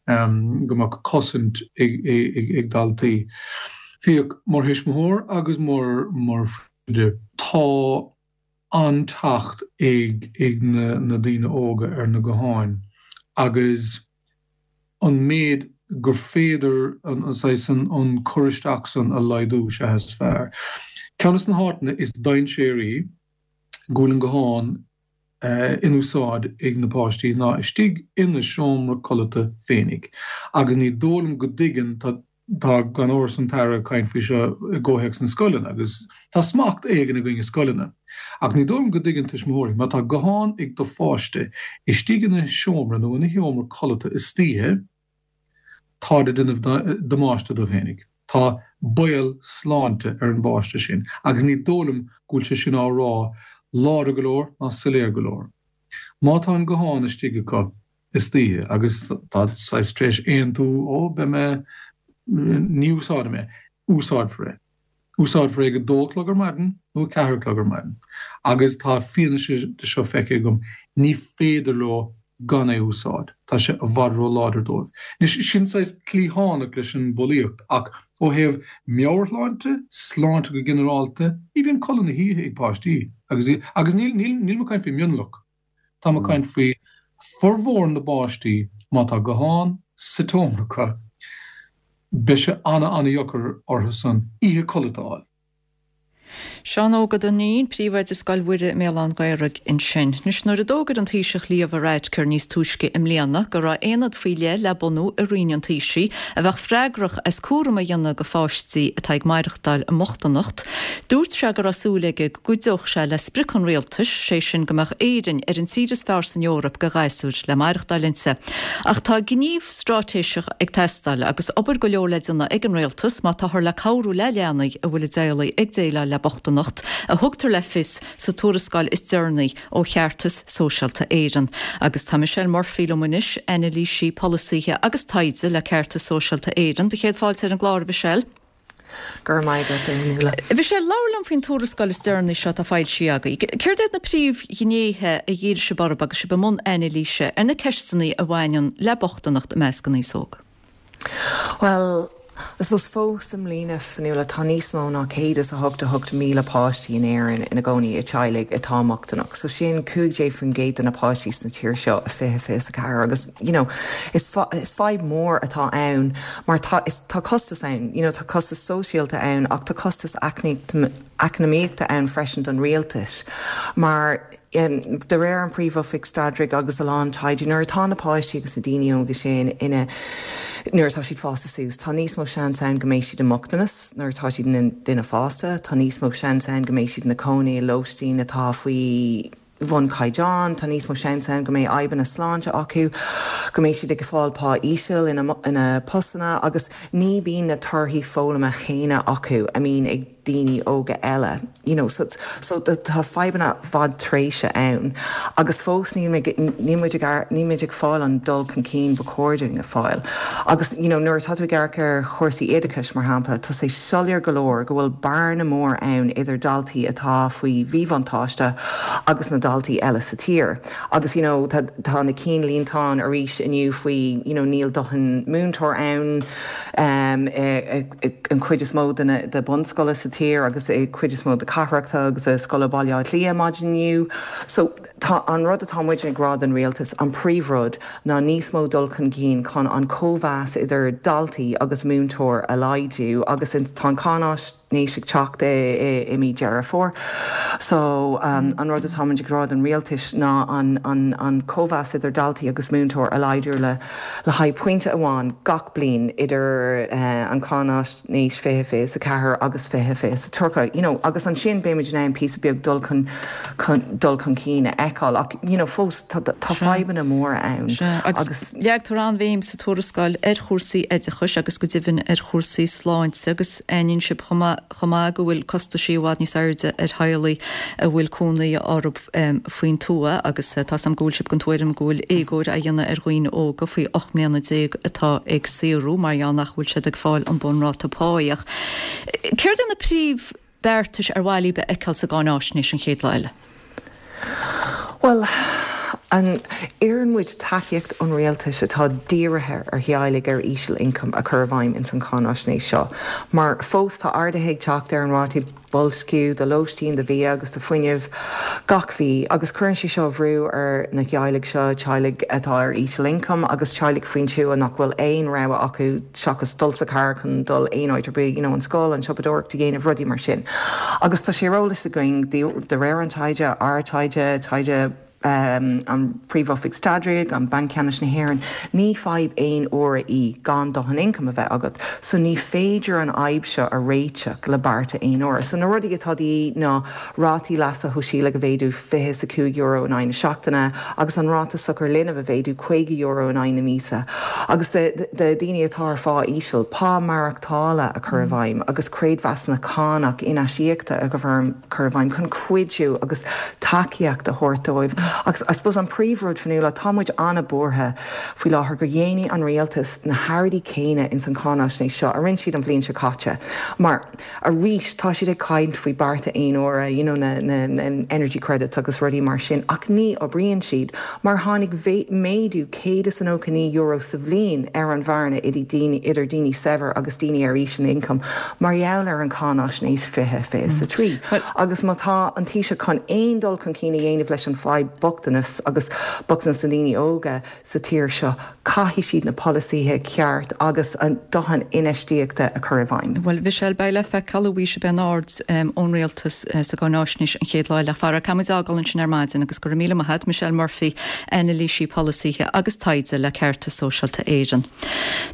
go mbeadh cosaint ag daltaí. Fiach, mar thuismitheoir agus mar mar phríomhoide, tá an-teacht ag ag na daoine óga ar na gutháin agus an méid gur féidir an saghas an cur isteach san a laghdú is ea is fearr. Ceann de na háiteanna is dainséaraí go bhfuil an guthán in úsáid ag na páistí ná istigh ina seomra codlata féinig agus ní dóigh liom go dtuigeann, tá Tá gan amhras an tAire ag caint faoi seo i gcomhthéacs na scoileanna agus tá smacht éigin againn i scoileanna. Ach ní dóigh liom go dtuigeann tuismitheoirí, má tá guthán ag do pháiste istigh ina seomra nó ina sheomra codlata istoíche, táid ag déanamh damáiste dóibh fhéinig. Tá baol sláinte ar an bpáiste sin agus ní dóigh liom go bhfuil sé sin á rá láidir go leor ná soiléir go leor. Má tá an guthán istigh acu, istoíche agus tá saghas tar éis aontú, ó, beidh mé, ní úsáidfidh mé, úsáidfear é. Úsáidfear é ag a dó a chlog ar maidin nó a ceathair a chlog ar maidin. Agus tá fianaise de seo feicthe agam, ní féidir leo gan é a úsáid, tá sé i bhfad ró-láidir dóibh. Anois, sin saghas cliathánach leis an bhulaíocht ach ó thaobh meabhairshláinte, sláinte go ginearálta, ní bhíonn codladh na hoíche ag páistí agus, agus níl, níl, nílim ag caint faoi mhionlach. Táim ag caint faoi formhór na bpáistí, má tá guthán sa tseomra acu, beidh sé ana-ana-dheacair orthu san oíche codlata a fháil. Seán Óg Ó Duinnín, Príomhoide Scoil Mhuire i mBéal Átha an Ghaorthaidh ansin. Anois, nuair a d'fhógair an Taoiseach Leo Varadkar níos túisce i mbliana go raibh aonad faoi leith le bunú i Roinn an Taoisigh a bheadh freagrach as cúram a dhéanamh go pháistí atá ag maireachtáil i mbochtaineacht, dúirt sé go raibh súil aige go gcuideodh sé le sprioc an rialtais, sé sin go mbeadh Éirinn ar an tír is fearr san Eoraip go ghasúir le maireachtáil inti. Ach tá gníomh straitéiseach ag teastáil agus obair go leor le déanamh ag an rialtas má táthar le cabhrú le leanaí a bhfuil a dteaghlaigh ag déileáil le bochtaineacht, a thugtar le fios sa tuarascáil is deireanaí ó Cheartas Sóisialta Éireann. Agus tá Michelle Murphy liom anois, anailísí polasaithe agus taighde le Ceartas Sóisialta Éireann. Do chéad fáilte ar an gclár, a Mhichelle. Go raibh maith agat, a Fhionnuala. Mhichelle, labhair liom faoin tuarascáil is deireanaí seo atá foilsithe agaibh. Céard iad na príomhghnéithe a dhírigh sibh orthu agus sibh i mbun anailíse ar na ceisteanna a bhaineann le bochtaineacht i measc an aos óg? Bhuel, I suppose fós i mbliana, Fionnuala, tá níos mó ná 188,000 páistí in Éirinn ina gcónaí i teaghlaigh atá mbochtaineach. So sin 15% de na páistí sna tír seo i 2024 agus you know is is fadhb mór atá ann mar tá is tá costas ann, you know tá costas sóisialta ann ach tá costas eacnamaíochta ann freisin don rialtas mar De réir an Príomh-Oifig Staidrimh agus a lán taighde, nuair atá na páistí agus na daoine óga sin ina, nuair atá siad fásta suas, tá níos mó seans ann go mbeidh siad i mbochtanas nuair atá siad ina nduine fásta, tá níos mó seans ann go mbeidh siad ina cónaí i lóistín atá faoi bhun caighdeán, tá níos mó seans ann go mbeidh fadhbanna sláinte acu, go mbeidh siad ag fáil pá íseal ina ina postanna agus ní bíonn na torthaí foghlama chéanna acu a mbíonn ag daoine óga eile you know so so tá fadhbanna fadtréimhse ann agus fós níl mé níl muid ag níl muid ag fáil an dul chun cinn ba chóir dúinn a fáil agus you know nuair atá tú ag amharc ar chúrsaí oideachais mar shampla tá sé soiléir go leor go bhfuil bearna mór ann idir daltaí atá faoi mhíbhuntáiste agus na daltaí eile sa tír agus you know tá tá na cinnlínteáin arís inniu faoi you know níl dóthain múinteoir ann um i i an chuid is mó de na de bunscoileanna sa tír agus i cuid is mó de cathracha agus i scoileanna Baile Átha Cliath maidin inniu. So tá an rud atá muid ag rá don rialtas, an príomhrud ná níos mó dul chun cinn chun an cóimheas idir daltaí agus múinteoir a laghdú agus tá an cáináisnéis ag teacht i i mí Deireadh Fómhair. So an rud atá muid ag rá don rialtais ná an an an cóimheas idir daltaí agus múinteoir a laghdú le le haghaidh pointe amháin gach bliain idir an cháinaisnéis 2024 agus 2030, you know, agus ansin beimid in ann píosa beag dul chun dul chun cinn a fheiceáil ach, you know, fós tá tá fadhbanna móra ann Sea, agus agus. leagtar an-bhéim sa tuarascáil ar chúrsaí oideachais agus go deimhin ar chúrsaí sláinte agus aithníonn sibh chomh maith chomh maith go bhfuil costaisí i bhfad níos airde ar theaghlaigh a bhfuil cónaí orthu faoin tuath agus tá 's a'm go bhfuil sibh den tuairim go bhfuil éagóir á dhéanamh ar dhaoine óga faoi 18 mbliana atá ag saothrú mar gheall nach bhfuil siad ag fáil an bunráta páí. Ach céard iad na príomh beartais ar mhaith libh a fheiceáil sa gcáináisnéis an chéad lá eile? Bhuel, an, iarrann muid tacaíocht ón rialtas atá dírithe ar theaghlaigh ar íseal-ioncam a chur i bhfeidhm ins an cháinaisnéis seo, mar fós tá arduithe ag teacht ar an rátaí boilsciú do lóistín, do bhia agus do fuinneamh gach mhí, agus cuireann sé seo bhrú ar na theaghlaigh seo, teaghlaigh atá ar íseal-ioncam agus teaghlaigh faoin tuath nach bhfuil aon rogha acu seachas dul sa charr chun dul aon áit ar bith, you know, an scoil, an siopadóireacht a dhéanamh, rudaí mar sin. Agus tá sé ar eolas againn, de réir an taighde, ár taighde, taighde an Phríomh-Oifig Staidrimh, an Banc Ceannais na hÉireann, ní fadhb aon uaire í gan dóthain ioncaim a bheith agat. So ní féidir an fhadhb seo a réiteach le bearta aon uaire. So na rudaí atá de dhíth ná rátaí leasa shóisialaigh a mhéadú €25 in aghaidh na seachtaine agus an ráta sochar linbh a mhéadú €50 in aghaidh na míosa agus do dhaoine atá ar phá íseal, pá maireachtála a chur i bhfeidhm agus creidmheasanna cánach in-aisíoctha a chur i bhfeidhm chun cuidiú agus tacaíocht a thabhairt dóibh. Agus I suppose an príomhrud, Fionnuala, tá muid an-bhuartha faoi láthair go dhéanfaidh an rialtas na hearráidí céanna ins an cháinaisnéis seo a rinne siad an bhliain seo caite mar Arís, tá siad ag caint faoi bearta aon uaire, you know, na, na, na energy credits agus rudaí mar sin, ach ní oibríonn siad, mar tháinig méadú €199 sa bhliain ar an bhearna idir daoine, idir daoine saibhir agus daoine ar íseal-ioncam mar gheall ar an cháinaisnéis 2023. Agus má tá an Taoiseach chun aon dul chun cinn a dhéanamh leis an fadhb bochtanas agus bochtanas na ndaoine óga sa tír seo, Caithfidh siad na polasaithe ceart agus a ndóthain infheistíochta a chur i bhfeidhm. Bhuel, Michelle, beidh le feiceáil an bhfaighidh sibh aon aird ón Rialtas sa gcáináisnéis an chéad lá eile. Fara, caithfidh muid fhágáil ansin ar maidin agus go raibh míle maith a't, Michelle Murphy, anailísí polasaithe agus taighde le Ceartas Sóisialta Éireann.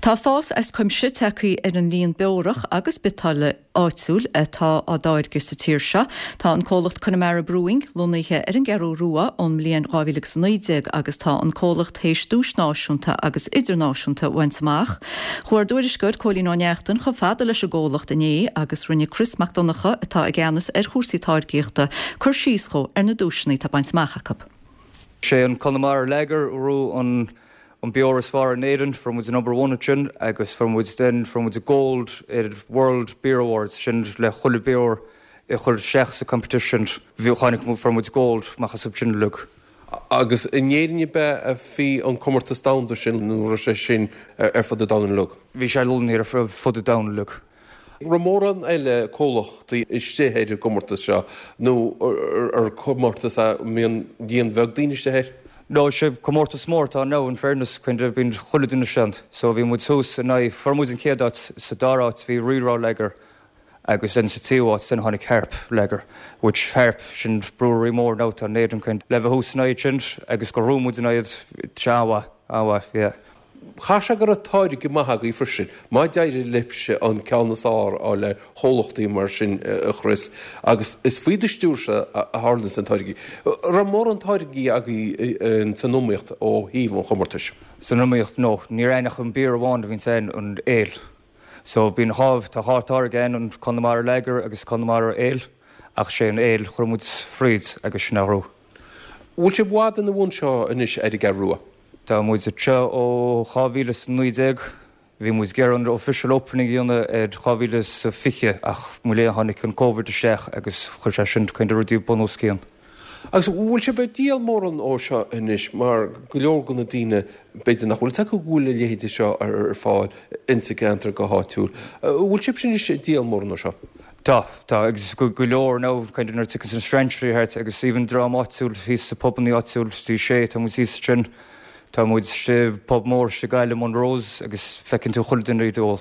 Tá fás as cuimse tagtha ar an líon beorach agus biotáille áitiúil atá á dtáirgeadh sa tír seo. Tá an comhlacht Connemara Brewing lonnaithe ar an gCeathrú Rua ón mbliain 2019 agus tá an comhlacht théis duais náisiúnta agus idirnáisiúnta a bhaint amach. Chuaigh ár dtuairisceoir Cóilín Ó Neachtain chomh fada leis an gcomhlacht inné agus rinne Chris Mac Donncha, atá i gceannas ar chúrsaí táirgíochta, cur síos dhó ar na duaiseanna atá bainte amach acu. Sé an Connemara Lager a ghnóthaigh an an beoir is fearr in Éirinn, fuair muid number one ansin agus fuair muid then, fuair muid gold ar World Beer Awards, sin le chuile beoir a chuir isteach sa competition, bhí, tháinig, fuair muid gold amach as sin uilig. Agus in Éirinn ab ea a bhí an comórtas domhanda sin nó raibh sé sin ar fud an domhain uilig? Bhí sé lonnaithe ar fud an domhain uilig. Raibh mórán eile comhlachtaí istigh ar an gcomórtas seo nó ar comórtas a mbíonn líon bheag daoine istigh air? No, sé comórtas mór atá ann now in fairness kind of bíonn chuile duine istigh ann. So bhí muid thuas in aghaidh, fuair muid an chéad áit, sa dara áit bhí Rí-Rá Lager agus then sa tríú áit then tháinig Harp Lager which Harp sin brewery mór now atá in Éirinn kind le bheith thuas in aghaidh sin agus gur bhuaigh muid in aghaidh tá sé an-mhaith, an-mhaith, yeah. Chaithfeadh sé go raibh táirge maith agaibh freisin, má d'éirigh libhse an ceann is fearr a fháil ar chomhlachtaí mar sin, a Chris, agus is faoi do stiúirse a tharlaíonns na táirgí. Raibh mórán táirgí agaibh san iomaíocht ó thaobh an chomórtais? San iomaíocht, no. Ní raibh ach an beer amháin a bhíonns ann, an ale. So bíonn dhá, tá dhá táirge ann, an Conamara Lager agus Conamara Ale, ach sé an ale chuir muid fríd agus sin a ghnóthaigh. Bhfuil sibh i bhfad ina bhun seo anois ar an gCeathrú Rua? Tá muid anseo ó 2019. Bhí muid ag iarraidh an official opening a dhéanamh ar 2020 ach mo léan tháinig an Covid isteach agus chuir sé sin kind of rudaí bun os cionn. Agus bhfuil sibh ag díol mórán ó seo anois mar go leor de na daoine b'fhéidir nach bhfuil fhios acu go bhfuil a leithéide seo ar fáil insa gceantar go háitiúil. Bhfuil sibhse anois ag díol mórán ó seo? Tá, tá, agus go leor now kind of nuair a tiocfaidh na strainséirí thart agus even dream áitiúil thíos sa pubannaí áitiúil sa sé, tá muid thíos ansin, tá muid sa pub mór sa Gaillimh, Monroe's agus feiceann tú chuile duine iad ag ól.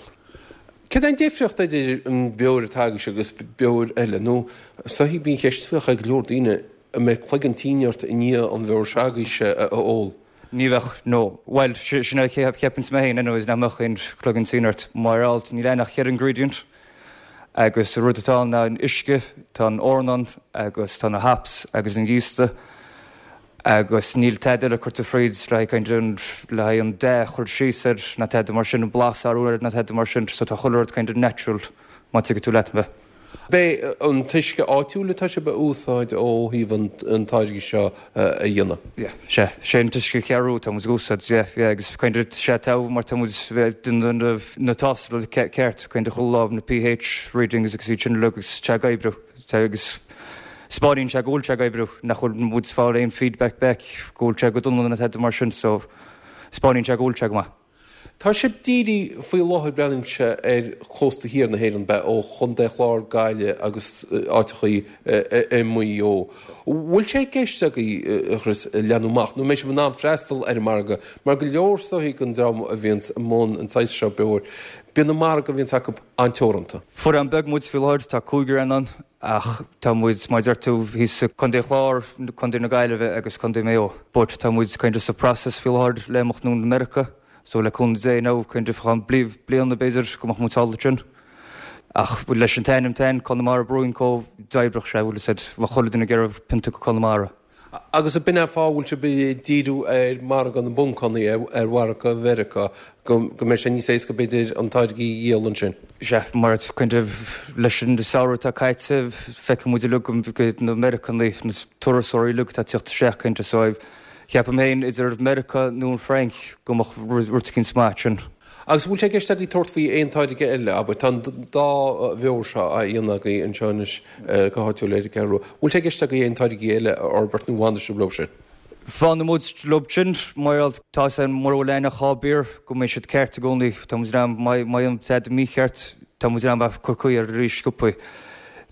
Cad é an difríocht idir an beoir atá agaibhse agus beoir eile nó is dóichí bíonn ceist a bheadh ag go leor daoine, an mbeidh cloigeann tinn ort i ndiaidh an bheoir seo agaibhse a ól? Ní bheadh, no. Bhuel, sin a cheapanns mé féin anyways, nach mbeadh aon chloigeann tinn ort. Mar alt, níl ann ach cheithre ingredient agus an rud atá ann ná an uisce, tá an eorna ann agus tá na hops agus an giosta agus níl tada eile curtha fríd le haghaidh kind of le haghaidh an dath a chur síos air ná tada mar sin, an blas a athrú air ná tada mar sin so tá chuile rud kind of natural má tuigeann tú leat mé. B'é an t-uisce áitiúil atá sibh a úsáid ó thaobh an táirge seo a dhéanamh? Yeah, sea. Sé an t-uisce Cheathrú atá muid ag úsáid, yeah, yeah, agus kind of sea tá mar tá muid ag déanamh na tástála ceart, kind of chuile lá, na pH readings agus iad sin uilig agus tá sé ag oibriú, tá agus 'spáineann sé go bhfuil sé ag oibriú, nach bhfuil muid ag fáil aon feedback back go bhfuil sé go dona nó tada mar sin so 'spáineann sé go bhfuil sé go maith. Tá sibh dírithe faoi láthair, breathnaímse, ar chósta thiar na hÉireann, ab ea, ó Chontae an Chláir, Gaillimh agus áiteachaí i Maigh Eo. Bhfuil sé i gceist agaibh, a Chris, leathnú amach, nó an mbeidh sibh in ann freastal ar an margadh? Mar go leor is dóichí den dream a bhíonns i mbun an tsaghas seo beoir, bíonn an margadh a bhíonns acu an-teoranta. Fuair beag muid faoi láthair, tá cúigear ann, ach tá muid, mar a deir tú, thíos i Contae Chláir, Contae na Gaillimhe agus Contae Maigh Eo. But tá muid kind of sa process faoi láthair le imeacht anonn Meiriceá, so le cúnamh Dé now kind of fá cheann bliana b'fhéidir go mbeadh muid thall ansin. Ach leis an t-ainm tain, Connemara Brewing Co, d'oibreodh sé, bhfuil fhios a'd, bheadh chuile duine ag iarraidh pionta go Conamara. Agus ab in é an fáth a bhfuil sibh ag díriú ar mhargadh na bponcanna, ar mhargadh Mheiriceá, go mbeidh sé níos éasca b'fhéidir an táirge a dhíol ansin? Sea, mar kind of leis an samhradh atá caite, feiceann muid uilig go na Meiriceánaigh, na turasóirí uilig atá ag tíocht isteach kind of, so ceapaim féin idir Meiriceá nó an Fhrainc go mbeadh rud eicínt maith ansin. Agus an bhfuil sé i gceist agaibh tabhairt faoi aon táirge eile, abair, tá an dá bheoir seo á dhéanamh agaibh anseo anois go háitiúil ar an gCeathrú Rua, bhfuil sé i gceist agaibh aon táirgí eile a fhorbairt nó fanfaidh sibh leo sin? Fanfaidh muid leo sin, mar tá 'fhios a'm mura bhfuil aon ach dhá beer go mbeidh siad ceart i gcónaí, tá muid in ann, má dhéanann tada mícheart, tá muid in ann bheith cur caoi air arís sciobthaí.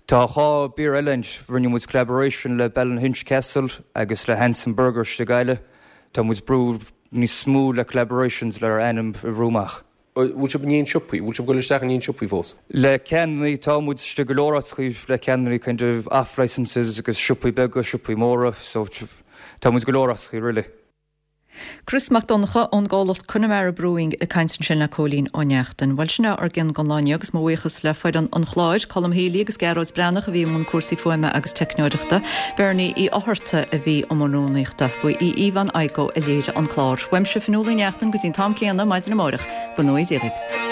Tá dhá beer eile ann, rinne muid collaboration le Ballynahinch Castle agus le Hanson Burger istigh i Gaillimh, tá muid brú níos mó le collaborations le ár ainm a bhrú amach. Bhfuil sibh in aon siopaí? Bhfuil sibh ag dul isteach in aon siopaí fós? Le ceannaí, tá muid istigh go leor áiteachaí le ceannaí kind of off licences agus siopaí beaga, siopaí móra, so tá muid go leor áiteachaí really. Chris Mac Donncha ón gcomhlacht Connemara Brewing ag caint ansin le Cóilín Ó Neachtain. Bhuel sin é ár gcion don lá inniu agus mo bhuíochas le foireann an chláir, Colm Healy agus Gearóid Breathnach a bhí i mbun cúrsaí fuaime agus teicneoireachta, Bernie Uí Fhátharta a bhí i mbun rúnaíochta. Ba í Yvonne Igoe a léirigh an clár. Uaimse Fionnuala Ní Neachtain go dtí an t-am céanna maidin amárach, go ngnóthaí Dia dhaoibh.